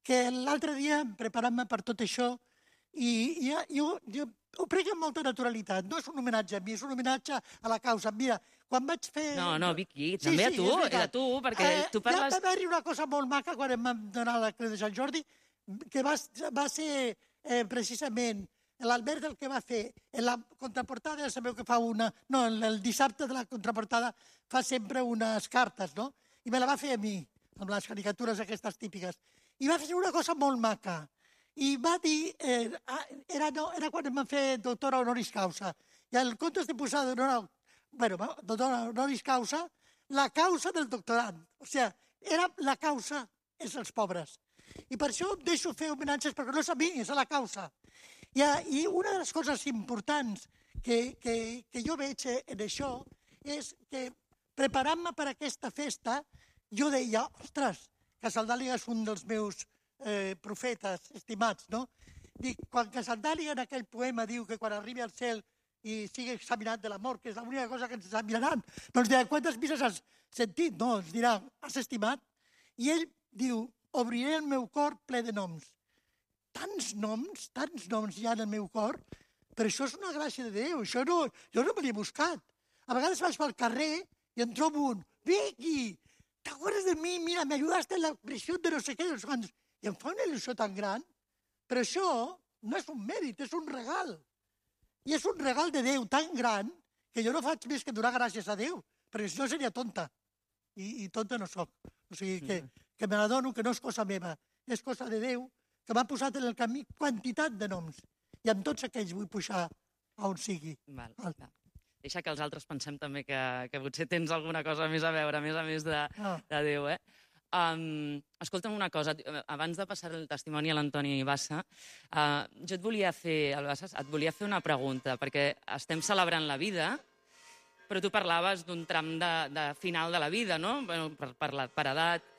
que l'altre dia, preparant-me per tot això, i jo ho prenc amb molta naturalitat. No és un homenatge a mi, és un homenatge a la causa. Mira, quan vaig fer... No, Vicky, també a tu, perquè tu parles... Va haver-hi una cosa molt maca quan em vam donar la Creu de Sant Jordi, que va ser precisament l'Albert el que va fer. En la contraportada, ja sabeu que fa una... No, el dissabte de la contraportada fa sempre unes cartes, no? I me la va fer a mi, amb les caricatures aquestes típiques. I va fer una cosa molt maca. I va dir... Era quan em van fer doctora honoris causa. I en comptes de posar doctora honoris causa, la causa del doctorat. O sigui, la causa és els pobres. I per això deixo fer homenatges, perquè no és a mi, és a la causa. I una de les coses importants que jo veig en això és que, preparant-me per aquesta festa, jo deia, ostres, Casaldàliga és un dels meus profetes estimats, no? Dic, quan Casaldàliga en aquell poema diu que quan arribi al cel i sigui examinat de la mort, que és l'única cosa que ens examinaran, doncs dirà, quantes misses has sentit? No, ens dirà, has estimat? I ell diu, obriré el meu cor ple de noms. Tants noms hi ha en el meu cor, però això és una gràcia de Déu, jo no me l'he buscat. A vegades vaig pel carrer i em trobo un, Vicky, ¿t'acuerdas de mi? Mira, me ayudaste en la prisión de no sé qué, i em fa una il·lusió tan gran, però això no és un mèrit, és un regal. I és un regal de Déu tan gran que jo no faig més que donar gràcies a Déu, perquè si no seria tonta. I tonta no soc. O sigui, que me l'adono, que no és cosa meva, és cosa de Déu, que m'ha posat en el camí quantitat de noms. I amb tots aquells vull pujar a on sigui. Deixa que els altres pensem també que potser tens alguna cosa més a veure, a més de Déu, eh? Escolta'm una cosa, abans de passar el testimoni a l'Antoni Bassa, jo et volia fer una pregunta, perquè estem celebrant la vida, però tu parlaves d'un tram de final de la vida, no? Per edat.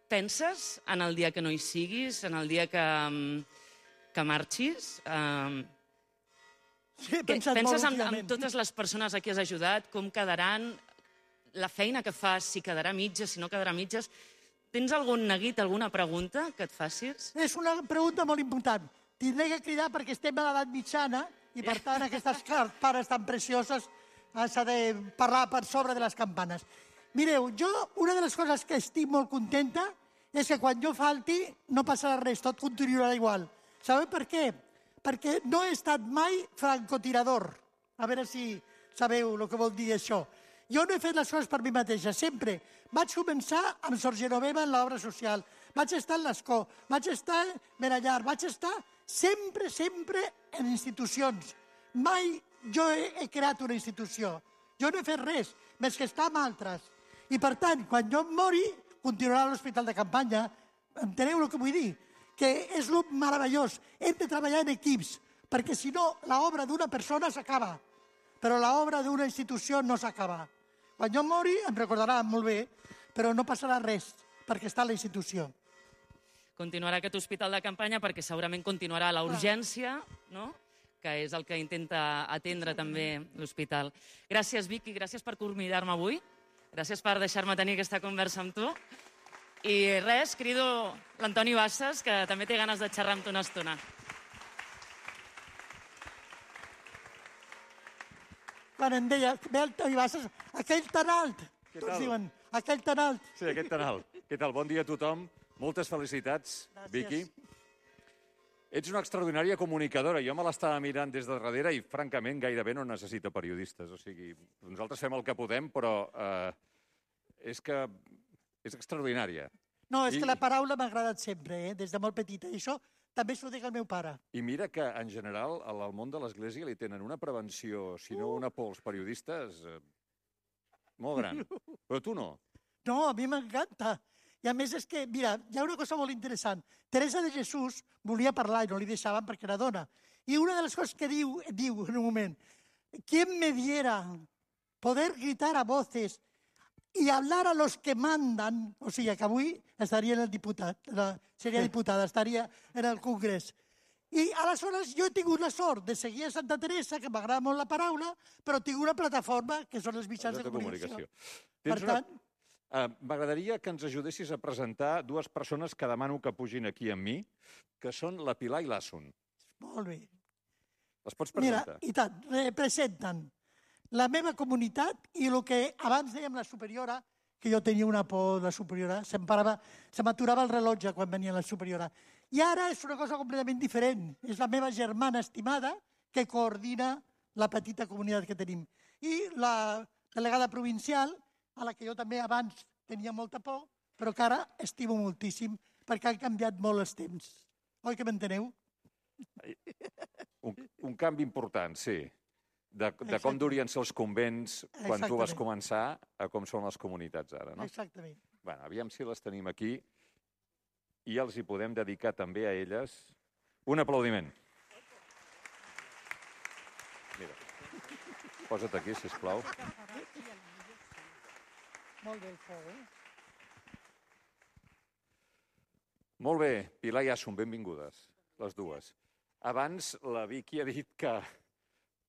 Penses en el dia que no hi siguis, en el dia que marxis? Sí, he pensat molt últimament. En totes les persones a qui has ajudat, com quedaran, la feina que fas, si quedarà mitges, si no quedarà mitges. Tens algun neguit, alguna pregunta que et facis? És una pregunta molt important. Tindré que cridar perquè estem a l'edat mitjana i, per tant, aquestes pares tan precioses s'ha de parlar per sobre de les campanes. Mireu, jo una de les coses que estic molt contenta és que quan jo falti no passarà res, tot continuarà igual. Sabeu per què? perquè no he estat mai francotirador. A veure si sabeu el que vol dir això. Jo no he fet les coses per mi mateixa, sempre. Vaig començar amb Sor Genoveva en l'obra social, vaig estar en l'Escó, vaig estar en Benallar, vaig estar sempre en institucions. Mai jo he creat una institució. Jo no he fet res, més que estar amb altres. I per tant, quan jo em mori, continuarà a l'hospital de campanya. Enteneu el que vull dir? Que és el meravellós. Hem de treballar en equips, perquè si no, l'obra d'una persona s'acaba, però l'obra d'una institució no s'acaba. Quan jo mori, em recordarà molt bé, però no passarà res, perquè està a la institució. Continuarà aquest hospital de campanya perquè segurament continuarà la urgència, no?, que és el que intenta atendre també l'hospital. Gràcies, Vicky, gràcies per convidar-me avui. Gràcies per deixar-me tenir aquesta conversa amb tu. I res, crido l'Antoni Bassas, que també té ganes de xerrar amb tu una estona. Quan em deia, ve el Toni Bassas, aquell tan alt. Tots diuen, aquell tan alt. Sí, aquell tan alt. Què tal? Bon dia a tothom. Moltes felicitats, Vicky. Ets una extraordinària comunicadora. Jo me l'estava mirant des de darrere i, francament, gairebé no necessita periodistes. O sigui, nosaltres fem el que podem, però és que és extraordinària. No, és que la paraula m'ha agradat sempre, des de molt petita. I això també s'ho dic al meu pare. I mira que, en general, al món de l'Església li tenen una prevenció, si no una por als periodistes, molt gran. Però tu no. No, a mi m'encanta. I a més és que, mira, hi ha una cosa molt interessant. Teresa de Jesús volia parlar i no li deixaven perquè era dona. I una de les coses que diu en un moment, ¿quién me diera poder gritar a voces y hablar a los que mandan? O sigui, que avui estaria en el diputat, seria diputada, estaria en el Congrés. I aleshores jo he tingut la sort de seguir a Santa Teresa, que m'agrada molt la paraula, però tinc una plataforma que són els mitjans de comunicació. Per tant... M'agradaria que ens ajudessis a presentar dues persones que demano que pugin aquí amb mi, que són la Pilar i l'Asun. Molt bé. Les pots presentar? Mira, i tant, representen la meva comunitat i el que abans dèiem la superiora, que jo tenia una por de la superiora, se m'aturava el rellotge quan venia la superiora. I ara és una cosa completament diferent. És la meva germana estimada que coordina la petita comunitat que tenim. I la delegada provincial, a la que jo també abans tenia molta por, però que ara estimo moltíssim, perquè han canviat molt els temps. Oi que m'enteneu? Un canvi important, sí. De com durien ser els convents quan tu vas començar a com són les comunitats ara, no? Exactament. Bé, aviam si les tenim aquí i els hi podem dedicar també a elles un aplaudiment. Mira, posa't aquí, sisplau. Molt bé, el feu, Molt bé, Pilar i Asun, benvingudes, les dues. Abans la Vicky ha dit que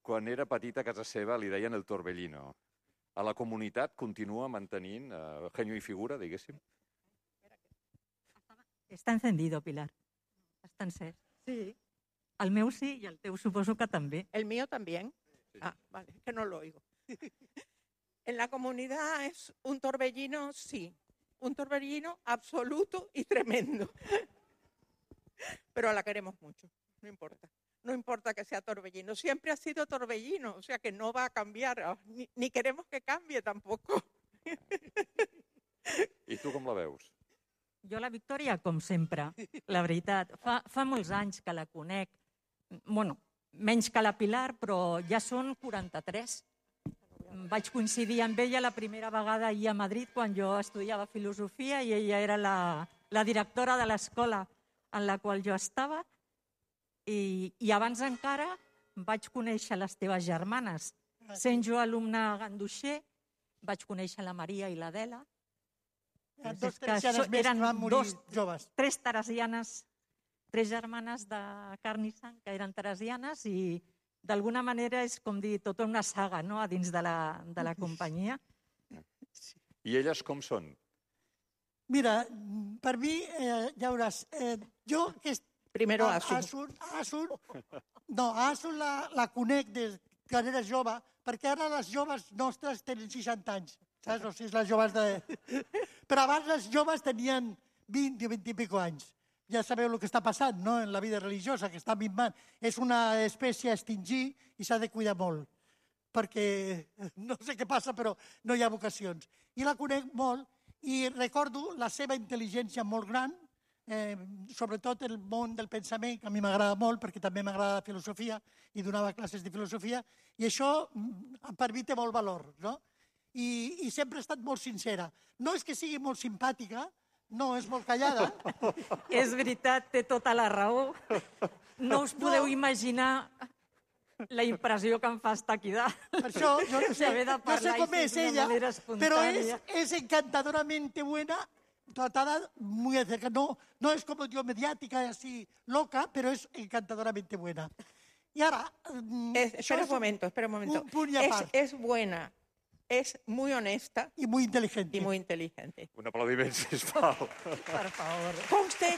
quan era petita a casa seva li deien el Torbellino. A la comunitat continua mantenint genio i figura, diguéssim? Està encendido, Pilar. Està encès. Sí. El meu sí i el teu suposo que també. El mío también. Sí. Ah, vale, que no lo oigo. En la comunidad es un torbellino, sí. Un torbellino absoluto y tremendo. Pero la queremos mucho, no importa. No importa que sea torbellino. Siempre ha sido torbellino, o sea que no va a cambiar. Ni queremos que cambie tampoco. I tu com la veus? Jo la Victòria, com sempre, la veritat. Fa molts anys que la conec. Bueno, menys que la Pilar, però ja són 43. Vaig coincidir amb ella la primera vegada ahir a Madrid quan jo estudiava filosofia i ella era la directora de l'escola en la qual jo estava i abans encara vaig conèixer les teves germanes. Sent jo alumne ganduixer, vaig conèixer la Maria i l'Adela. Dos teresianes més que van morir joves. Tres teresianes, tres germanes de carn i sang que eren teresianes i d'alguna manera és com dir tota una saga, no?, a dins de la companyia. I elles com són? Mira, per mi, ja veuràs, jo... Primero Asun. Asun la conec des que era jove, perquè ara les joves nostres tenen 60 anys, saps? O sigui, les joves de... Però abans les joves tenien 20 o 20 i pico anys. ja sabeu el que està passant, no?, en la vida religiosa, que està minvant. És una espècie a extingir i s'ha de cuidar molt, perquè no sé què passa, però no hi ha vocacions. I la conec molt i recordo la seva intel·ligència molt gran, sobretot el món del pensament, que a mi m'agrada molt, perquè també m'agrada la filosofia i donava classes de filosofia, i això per mi té molt valor, no? I sempre ha estat molt sincera. No és que sigui molt simpàtica, no, és molt callada. És veritat, té tota la raó. No us podeu imaginar la impressió que em fa estar aquí dalt. Per això, jo no sé com és ella, però és encantadoramente buena, tratada muy de cerca. No es como yo mediática, así loca, pero es encantadoramente buena. Y ahora... Espera un momento. Un punt i a part. Es buena. Es muy honesta. Y muy inteligente. Un aplaudiment, sisplau. Por favor. Conste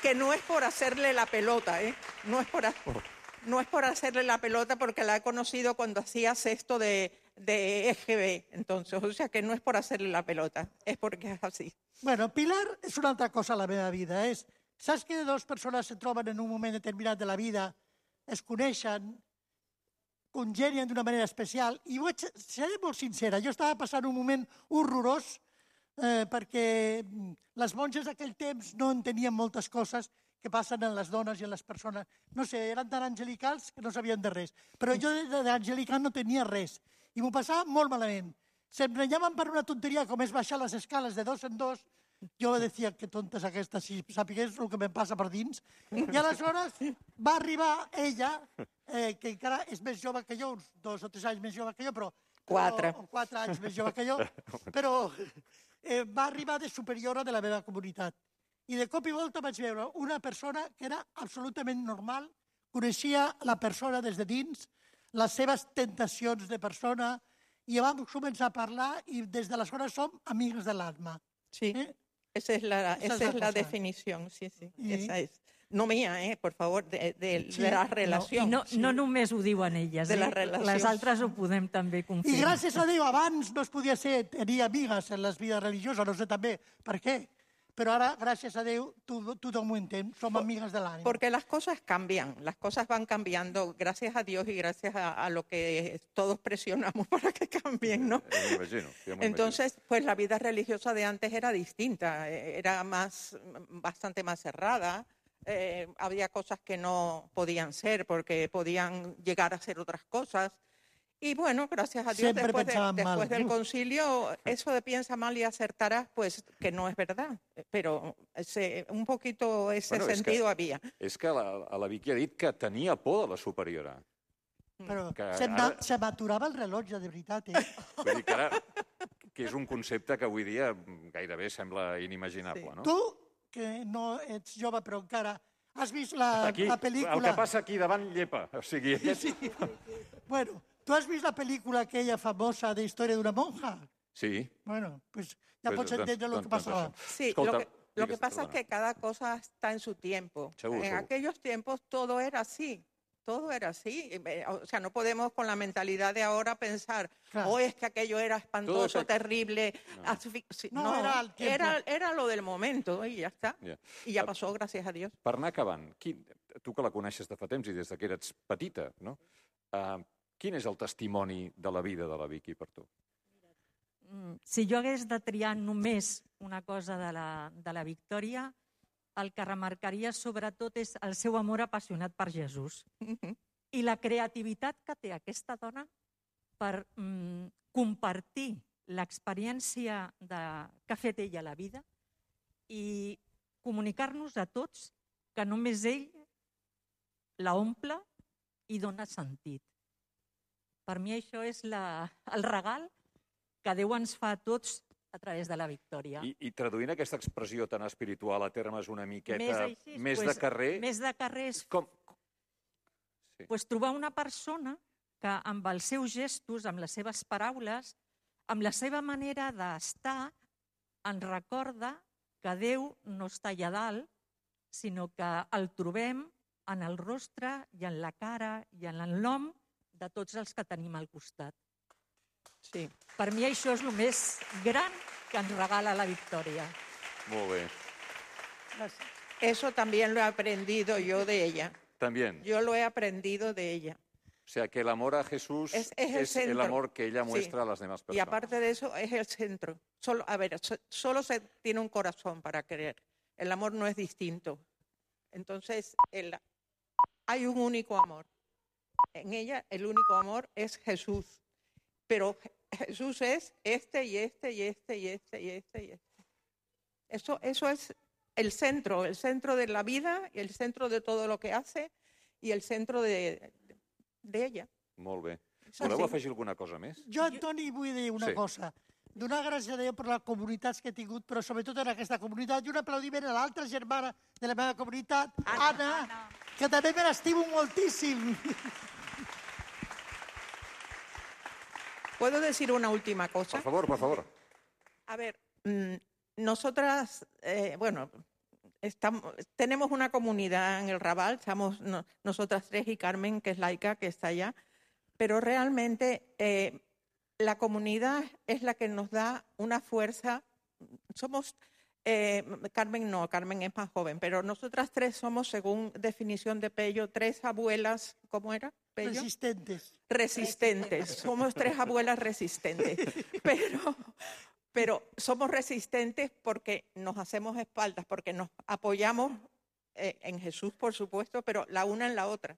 que no es por hacerle la pelota, ¿eh? No es por hacerle la pelota porque la he conocido cuando hacía sexto de EGB. Entonces, o sea que no es por hacerle la pelota, es porque es así. Bueno, Pilar és una altra cosa a la meva vida. Saps que dues persones se troben en un moment determinat de la vida, es coneixen, congenien d'una manera especial, i seré molt sincera, jo estava passant un moment horrorós perquè les monges d'aquell temps no entenien moltes coses que passen en les dones i en les persones. No sé, eren tan angelicals que no sabien de res. Però jo d'angelical no tenia res. I m'ho passava molt malament. Se'm renyaven per una tonteria com és baixar les escales de 2 en 2. Jo decía, que tonta és aquesta, si sapigués el que em passa per dins. I aleshores va arribar ella, que encara és més jove que jo, uns 2 o 3 anys més jove que jo, però... 4. O 4 anys més jove que jo, però va arribar de superiora de la meva comunitat. I de cop i volta vaig veure una persona que era absolutament normal, coneixia la persona des de dins, les seves tentacions de persona, i vam començar a parlar i des d'aleshores som amigues de l'alma. Sí, esa es la definición, sí. Esa es. No mía, por favor, de la relació. No només ho diuen elles, les altres ho podem també confirmar. I gràcies a Déu, abans no es podia tenir amigues en les vides religioses, no sé també per què. Pero ahora, gracias a Dios, tothom ho entén, som amigues de l'ànima. Porque las cosas cambian, las cosas van cambiando, gracias a Dios y gracias a lo que todos presionamos para que cambien, ¿no? Me imagino. Entonces, pues la vida religiosa de antes era distinta, era bastante más cerrada, había cosas que no podían ser porque podían llegar a ser otras cosas. Y bueno, gracias a Dios, después del concilio, eso de piensa mal y acertarás, pues que no es verdad. Pero un poquito ese sentido había. És que la Vicky ha dit que tenia por de la superiora. Però se m'aturava el rellotge, de veritat. Vull dir que ara, que és un concepte que avui dia gairebé sembla inimaginable, no? Tu, que no ets jove però encara, has vist la pel·lícula... El que passa aquí davant llepa, o sigui... Bueno... ¿Tú has visto la película aquella famosa de Historia de una monja? Sí. Bueno, pues ya pots entender lo que pasaba. Sí, lo que pasa es que cada cosa está en su tiempo. En aquellos tiempos todo era así. Todo era así. O sea, no podemos con la mentalidad de ahora pensar, es que aquello era espantoso, terrible. No, era lo del momento y ya está. I ja passó, gràcies a Dios. Per anar acabant, tu que la coneixes de fa temps i des que eres petita, no? Quin és el testimoni de la vida de la Vicky per tu? Si jo hagués de triar només una cosa de la Victòria, el que remarcaria sobretot és el seu amor apassionat per Jesús. I la creativitat que té aquesta dona per compartir l'experiència que ha fet ella a la vida i comunicar-nos a tots que només ell la omple i dona sentit. Per mi això és el regal que Déu ens fa a tots a través de la Victòria. I traduint aquesta expressió tan espiritual a termes una miqueta més de carrer... Més de carrer és trobar una persona que amb els seus gestos, amb les seves paraules, amb la seva manera d'estar, ens recorda que Déu no està allà dalt, sinó que el trobem en el rostre i en la cara i en l'home de tots els que tenim al costat. Sí. Per mi això és el més gran que ens regala la Victòria. Molt bé. Gràcies. Eso también lo he aprendido yo de ella. También. Yo lo he aprendido de ella. O sea, que el amor a Jesús Es el amor que ella muestra a las demás personas. Y aparte de eso, es el centro. Solo se tiene un corazón para querer. El amor no es distinto. Entonces, hay un único amor. En ella, el único amor es Jesús. Pero Jesús es este y este y este y este y este y este. Eso es el centro de la vida, y el centro de todo lo que hace, i el centre d'ella. Molt bé. Voleu afegir alguna cosa més? Jo, Antoni, vull dir una cosa. Donar gràcies a Déu per les comunitats que he tingut, però sobretot en aquesta comunitat, i un aplaudiment a l'altra germana de la meva comunitat, Anna, que també me l'estimo moltíssim. ¿Puedo decir una última cosa? Por favor, por favor. A ver, nosotras, tenemos una comunidad en el Raval, estamos nosotras tres y Carmen, que es laica, que está allá, pero realmente la comunidad es la que nos da una fuerza. Somos, Carmen no, Carmen es más joven, pero nosotras tres somos, según definición de Pello, tres abuelas, ¿cómo era? Pello? Resistentes. Somos tres abuelas resistentes. Pero somos resistentes porque nos hacemos espaldas, porque nos apoyamos en Jesús, por supuesto, pero la una en la otra.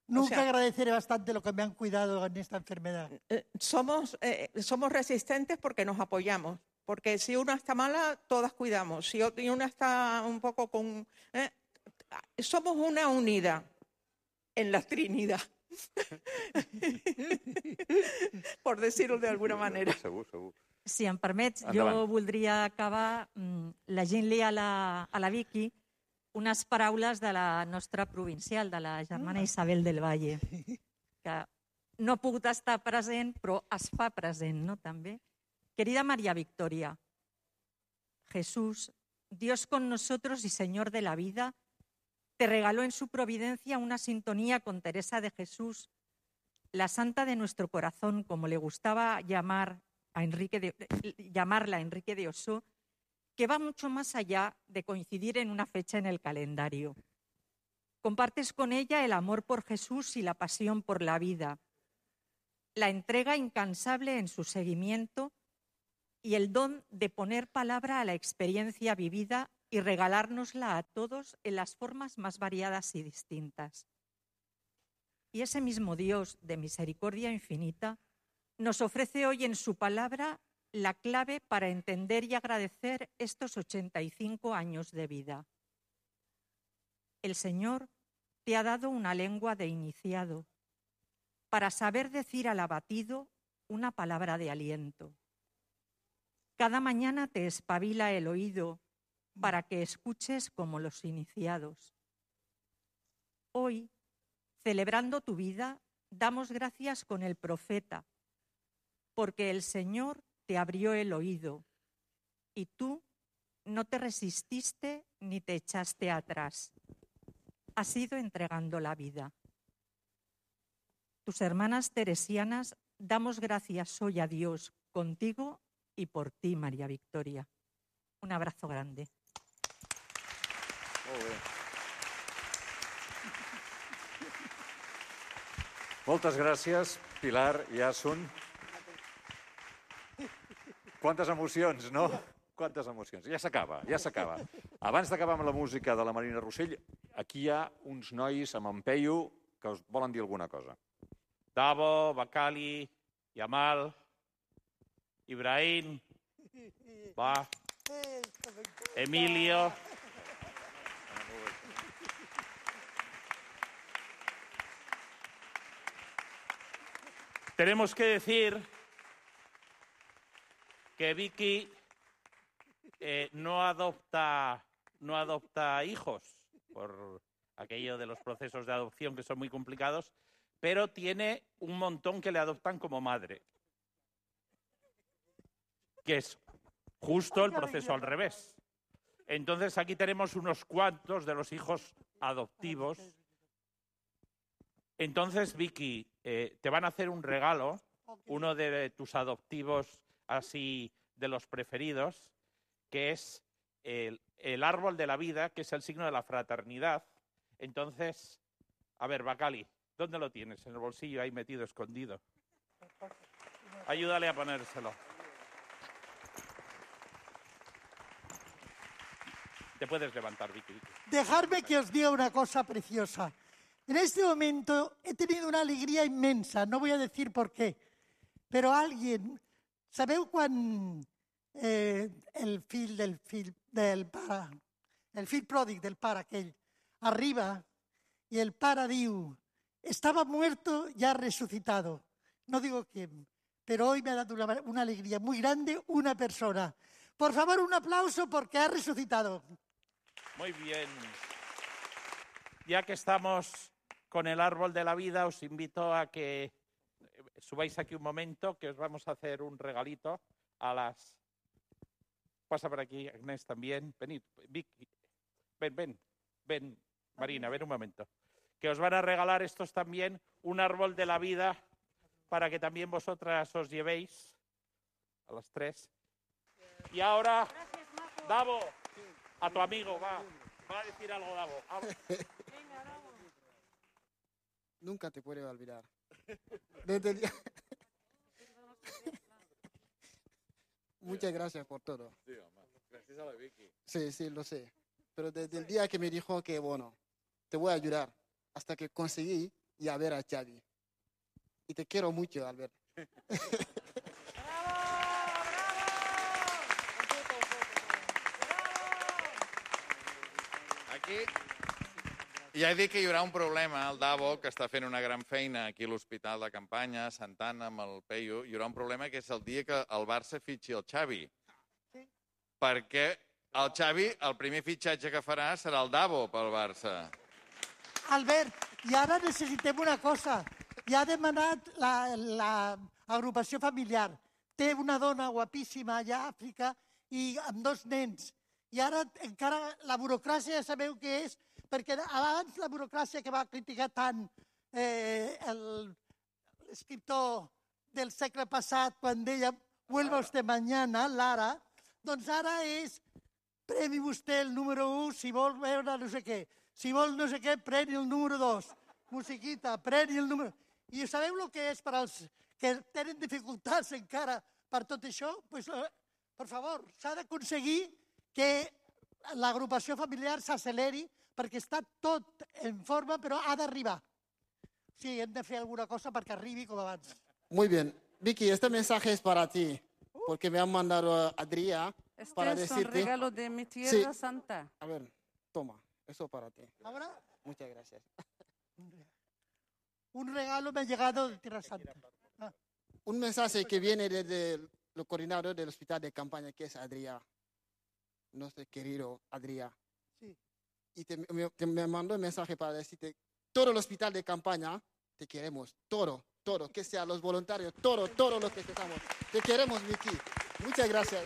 Nunca agradeceré bastante lo que me han cuidado en esta enfermedad. Somos resistentes porque nos apoyamos. Porque si una está mala, todas cuidamos. Si una está un poco con... somos una unidad en la Trinidad. Por decirlo de alguna manera. Segur, segur. Si em permets, Endavant. jo voldria acabar llegint-li a la Vicky unes paraules de la nostra provincial, de la germana Isabel del Valle, que no ha pogut estar present, però es fa present, ¿no? També. Querida María Victoria, Jesús, Dios con nosotros y Señor de la vida, te regaló en su providencia una sintonía con Teresa de Jesús, la santa de nuestro corazón, como le gustaba llamarla a Enrique de Ossó, que va mucho más allá de coincidir en una fecha en el calendario. Compartes con ella el amor por Jesús y la pasión por la vida, la entrega incansable en su seguimiento y el don de poner palabra a la experiencia vivida y regalárnosla a todos en las formas más variadas y distintas. Y ese mismo Dios de misericordia infinita nos ofrece hoy en su palabra la clave para entender y agradecer estos 85 años de vida. El Señor te ha dado una lengua de iniciado para saber decir al abatido una palabra de aliento. Cada mañana te espabila el oído para que escuches como los iniciados. Hoy, celebrando tu vida, damos gracias con el profeta, porque el Señor te abrió el oído y tú no te resististe ni te echaste atrás. Has ido entregando la vida. Tus hermanas teresianas damos gracias hoy a Dios contigo y por ti, María Victoria. Un abrazo grande. Molt bé. Moltes gràcies, Pilar i Asun. Quantes emocions, no? Quantes emocions. Ja s'acaba, ja s'acaba. Abans d'acabar amb la música de la Marina Rossell, aquí hi ha uns nois amb en Peyu que us volen dir alguna cosa. Davo, Bacali, Yamal, Ibrahim, Emilio. Tenemos que decir que Vicky no adopta hijos por aquello de los procesos de adopción que son muy complicados, pero tiene un montón que le adoptan como madre, que es justo el proceso al revés. Entonces aquí tenemos unos cuantos de los hijos adoptivos. Entonces, Vicky, te van a hacer un regalo, uno de tus adoptivos así de los preferidos, que es el árbol de la vida, que es el signo de la fraternidad. Entonces, a ver, Bacali, ¿dónde lo tienes? En el bolsillo, ahí metido, escondido. Ayúdale a ponérselo. Te puedes levantar, Vicky. Dejadme que os diga una cosa preciosa. En este momento he tenido una alegría inmensa, no voy a decir por qué, però alguien... Sabeu quan el fill del pare, el fill pròdig del pare aquell, arriba y el pare diu, estaba muerto y ha resucitado? No digo quién, pero hoy me ha dado una alegría muy grande una persona. Por favor, un aplauso porque ha resucitado. Muy bien. Ya que estamos con el árbol de la vida, os invito a que subáis aquí un momento, que os vamos a hacer un regalito a las... Pasa por aquí, Agnès, también. Venid, Vicky. Ven, Marina, ven un momento. Que os van a regalar estos también, un árbol de la vida, para que también vosotras os llevéis a las 3. Y ahora, Davo, a tu amigo, va a decir algo, Davo. Venga, Davo. Nunca te puedo olvidar. Desde el día... Muchas gracias por todo. Sí, home. Gràcies a la Vicky. Sí, lo sé. Pero desde el día que me dijo que, bueno, te voy a ayudar, hasta que conseguí ir a ver a Xavi. Y te quiero mucho, Albert. Aquí ja he dit que hi haurà un problema, el Davo, que està fent una gran feina aquí a l'Hospital de Campanya, a Santa Anna, amb el Peyu. Hi haurà un problema que és el dia que el Barça fitxi el Xavi. Perquè el Xavi, el primer fitxatge que farà serà el Davo pel Barça. Albert, i ara necessitem una cosa. Ja ha demanat l'agrupació familiar. Té una dona guapíssima allà a Àfrica i amb 2 nens. I ara encara la burocràcia ja sabeu què és, perquè abans la burocràcia que va criticar tant l'escriptor del segle passat quan deia «Vuelva usted mañana», Lara, doncs ara és «Premi vostè el número 1 si vol veure no sé què». Si vol no sé què, preni el número 2. Musiquita, preni el número... I sabeu el que és per als que tenen dificultats encara per tot això? Pues, per favor, s'ha d'aconseguir que l'agrupació familiar s'acceleri perquè està tot en forma, però ha d'arribar. Sí, hem de fer alguna cosa perquè arribi com abans. Muy bien. Vicky, este mensaje es para ti, porque me han mandado Adrià para decirte... Este es un regalo de mi tierra santa. A ver, toma, eso para ti. ¿Ahora? Muchas gracias. Un regalo me ha llegado de Tierra Santa. Un mensaje que viene desde el coordinador del hospital de campaña, que es Adrià. Nuestro querido Adrià. Sí. Y me mandó un mensaje para decirte, todo el hospital de campaña, te queremos, todo, que sean los voluntarios, todo lo que estamos. Te queremos, Vicky. Muchas gracias.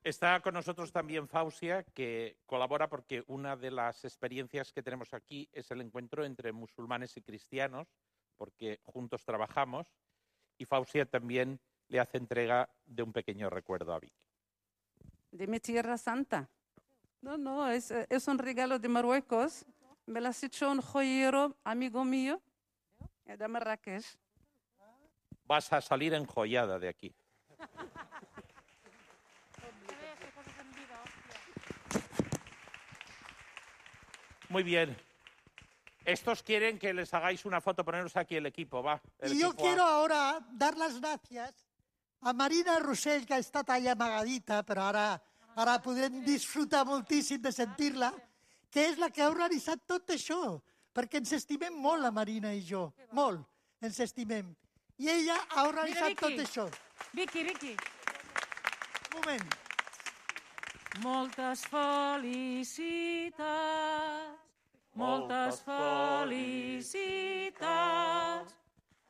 Está con nosotros también Fausia, que colabora porque una de las experiencias que tenemos aquí es el encuentro entre musulmanes y cristianos, porque juntos trabajamos, y Fausia también le hace entrega de un pequeño recuerdo a Vicky. De mi tierra santa. No, es un regalo de Marruecos. Me lo ha hecho un joyero, amigo mío, de Marrakech. Vas a salir enjollada de aquí. Muy bien. Estos quieren que les hagáis una foto, poneros aquí el equipo, va. Y yo quiero ahora dar las gracias a Marina Rossell, que ha estat allà amagadita, però ara podem disfrutar moltíssim de sentir-la, que és la que ha organitzat tot això, perquè ens estimem molt, la Marina i jo, molt, ens estimem. I ella ha organitzat tot això. Vicky. Un moment. Moltes felicitats, moltes felicitats,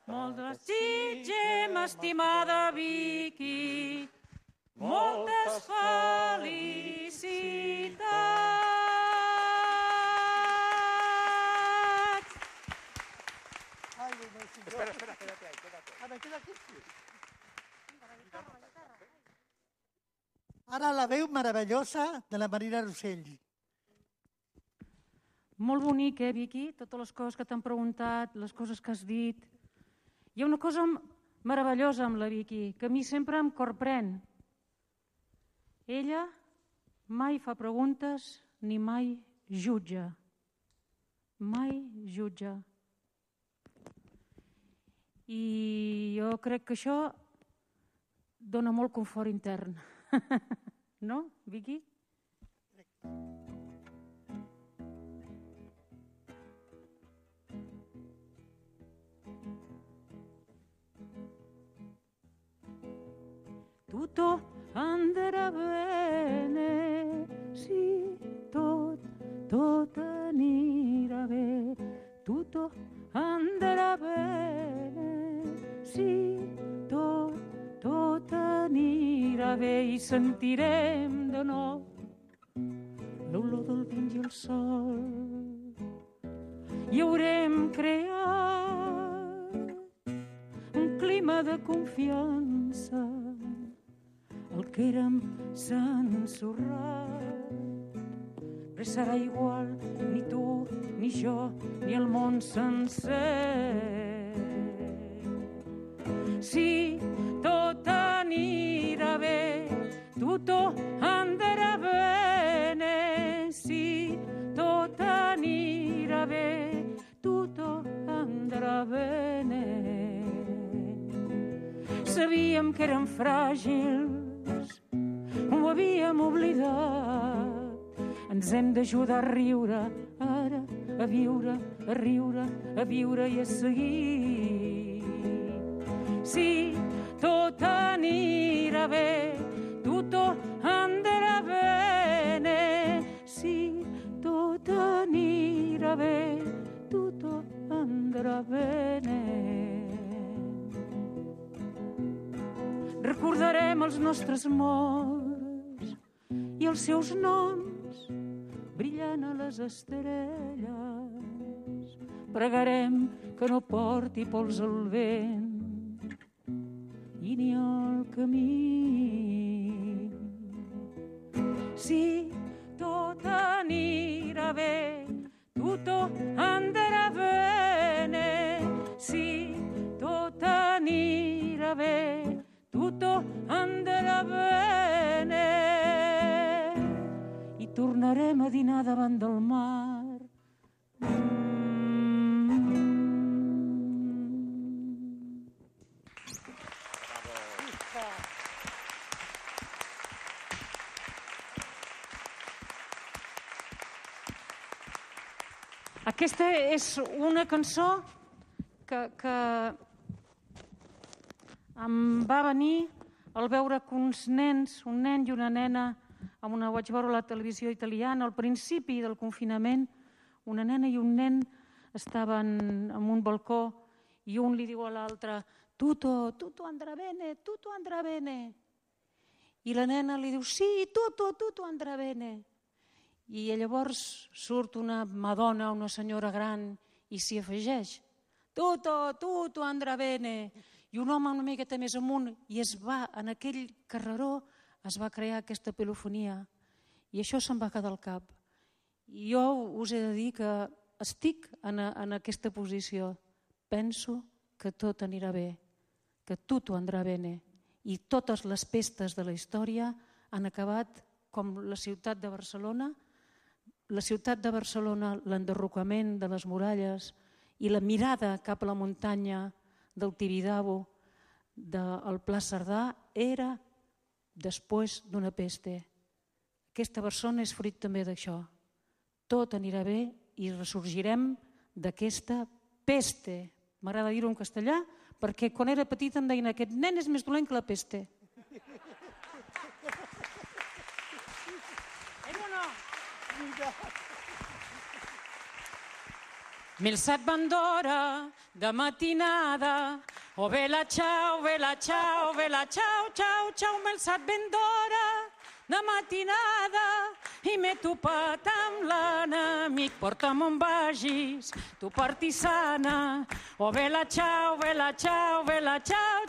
moltes desitgem, estimada Vicky, moltes felicitats. Ara la veu meravellosa de la Marina Rossell. Molt bonic, Vicky? Totes les coses que t'han preguntat, les coses que has dit. Hi ha una cosa meravellosa amb la Vicky, que a mi sempre em corprèn. Ella mai fa preguntes ni mai jutja. Mai jutja. I jo crec que això dona molt confort intern. No, Vicky? Tutto andrà bene, sì, tot anirà bé. Tutto andrà bene, sì, tot anirà bé. I sentirem de nou l'olor del vent i el sol. I haurem creat un clima de confiança. El que érem s'ensorrat. Res serà igual, ni tu, ni jo, ni el món sencer. Si tot anirà bé, tutto andrà bene. Si tot anirà bé, tutto andrà bene. Sabíem que érem fràgils, ho havíem oblidat. Ens hem d'ajudar a riure, ara, a viure, a riure, a viure i a seguir. Si tot anirà bé, tutto andrà bene. Si tot anirà bé, tutto andrà bene. Recordarem els nostres morts i els seus noms brillant a les estrelles. Pregarem que no porti pols al vent i ni al camí. Si tot anirà bé, tutto andrà bene. Si tot anirà bé, tutto andrà bene. I tornarem a dinar davant del mar. Aquesta és una cançó que em va venir al veure que uns nens, un nen i una nena, vaig veure a la televisió italiana, al principi del confinament, una nena i un nen estaven en un balcó i un li diu a l'altre tutto andrà bene, tutto andrà bene. I la nena li diu sí, tutto andrà bene. I llavors surt una madona, una senyora gran, i s'hi afegeix. Tutto andrà bene. I un home una miqueta més amunt, i en aquell carreró es va crear aquesta polifonia. I això se'm va quedar al cap. I jo us he de dir que estic en aquesta posició. Penso que tot anirà bé, que tutto andrà bene. I totes les pestes de la història han acabat com la ciutat de Barcelona. La ciutat de Barcelona, l'enderrocament de les muralles i la mirada cap a la muntanya del Tibidabo, del Pla Cerdà, era després d'una peste. Aquesta persona és fruit també d'això. Tot anirà bé i ressorgirem d'aquesta peste. M'agrada dir-ho en castellà, perquè quan era petita em deien aquest nen és més dolent que la peste. Mi alçat van d'hora, de matinada, oh vela ciao, ciao, ciao, ciao, m'he alçat ben d'hora, de matinada, i m'he topat amb l'enemic. Porta'm on vagis, tu partisana, oh vela ciao, ciao, ciao,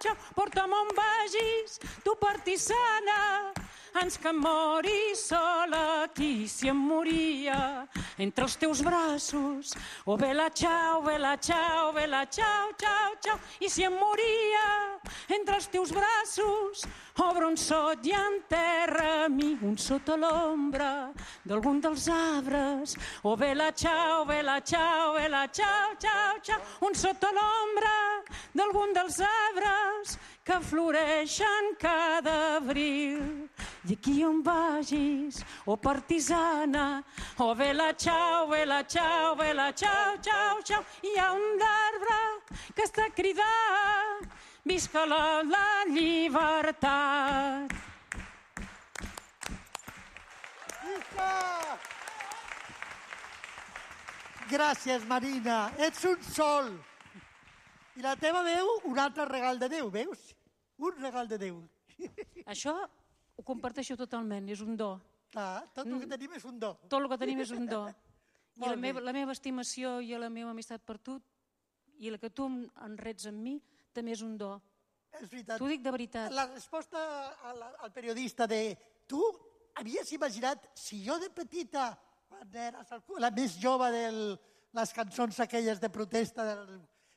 ciao, porta'm on vagis, tu partisana, ans que em mori sola aquí, si em moria entre els teus braços. Oh, bella ciao, bella ciao, bella ciao, ciao, ciao. I si em moria entre els teus braços, obre un sot i enterra-mi un sota l'ombra d'algun dels arbres. Oh, bella ciao, bella ciao, bella ciao, ciao, ciao. Un sota l'ombra d'algun dels arbres que floreixen cada abril. I aquí on vagis, oh partisana, oh bella ciao, bella ciao, bella ciao, ciao, ciao. Hi ha un arbre que està cridant, visca la llibertat. Gràcies, Marina. Ets un sol. I la teva veu, un altre regal de Déu, veus? Un regal de Déu. Això ho comparteixo totalment, és un do. Clar, tot el que tenim és un do. Tot el que tenim és un do. I Molt bé. la meva estimació i la meva amistat per tu, i la que tu en rets amb mi, també és un do. És veritat. T'ho dic de veritat. La resposta al periodista de tu havies imaginat, si jo de petita, quan eres la més jove de les cançons aquelles de protesta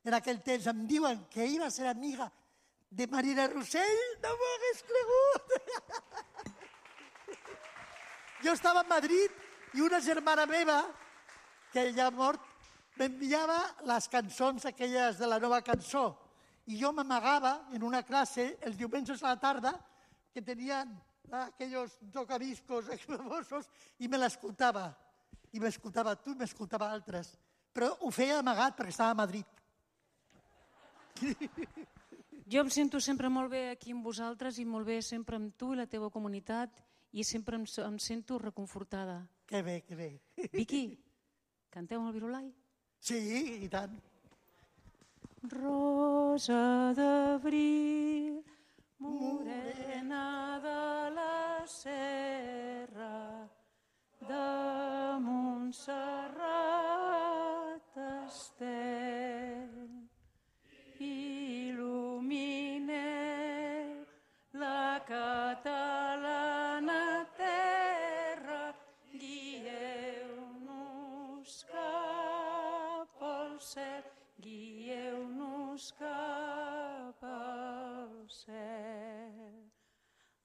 en aquell temps, em diuen que iba a ser amiga de Marina Rossell, no m'ho hagués cregut. Jo estava a Madrid i una germana meva, que ja ha mort, m'enviava les cançons aquelles de la nova cançó. I jo m'amagava en una classe els diumenges a la tarda que tenien aquells tocadiscos famosos i me l'escoltava. I m'escoltava tu i m'escoltava altres. Però ho feia amagat perquè estava a Madrid. Jo em sento sempre molt bé aquí amb vosaltres i molt bé sempre amb tu i la teva comunitat i sempre em sento reconfortada. Que bé, que bé. Vicky, canteu el Virolai? Sí, i tant. Rosa d'abril, morena de la serra, de Montserrat estem. Il·lumineu la catalana terra, guieu-nos cap al cel, guieu-nos cap al cel.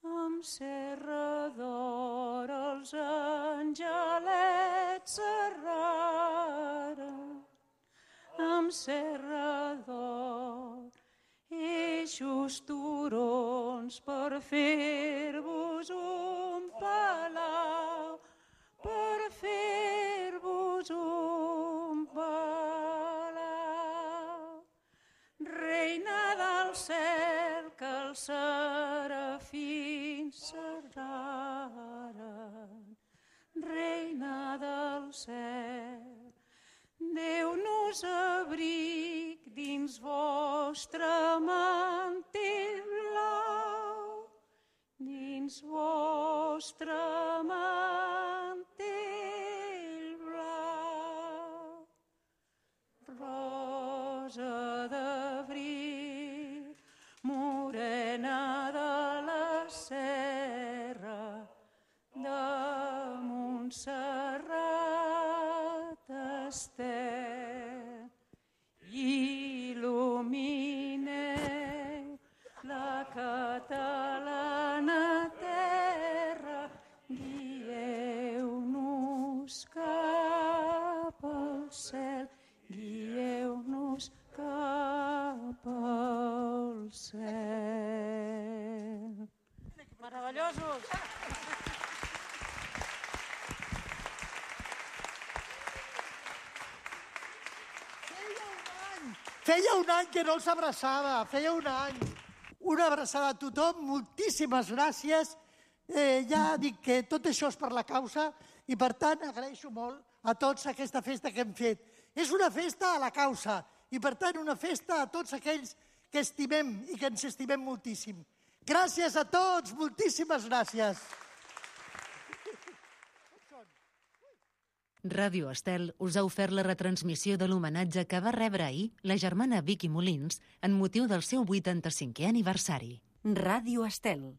Amb serra d'or els angelets serraren, amb serra d'or, eixos turons per fer-vos un palau, per fer-vos un palau. Reina del cel que els serafins serraren, reina del cel, Déu-nos abric dins vostre mantell blau, dins vostre mantell blau. Rosa d'abril, morena de la serra, de Montserrat estem. Il·lumineu la catalana terra, guieu-nos cap al cel, guieu-nos cap al cel. Meravellosos! Feia un any que no els abraçava, feia un any. Una abraçada a tothom, moltíssimes gràcies. Ja dic que tot això és per la causa i, per tant, agraeixo molt a tots aquesta festa que hem fet. És una festa a la causa i, per tant, una festa a tots aquells que estimem i que ens estimem moltíssim. Gràcies a tots, moltíssimes gràcies. Ràdio Estel us ha ofert la retransmissió de l'homenatge que va rebre ahir la germana Vicky Molins en motiu del seu 85è aniversari. Ràdio Estel.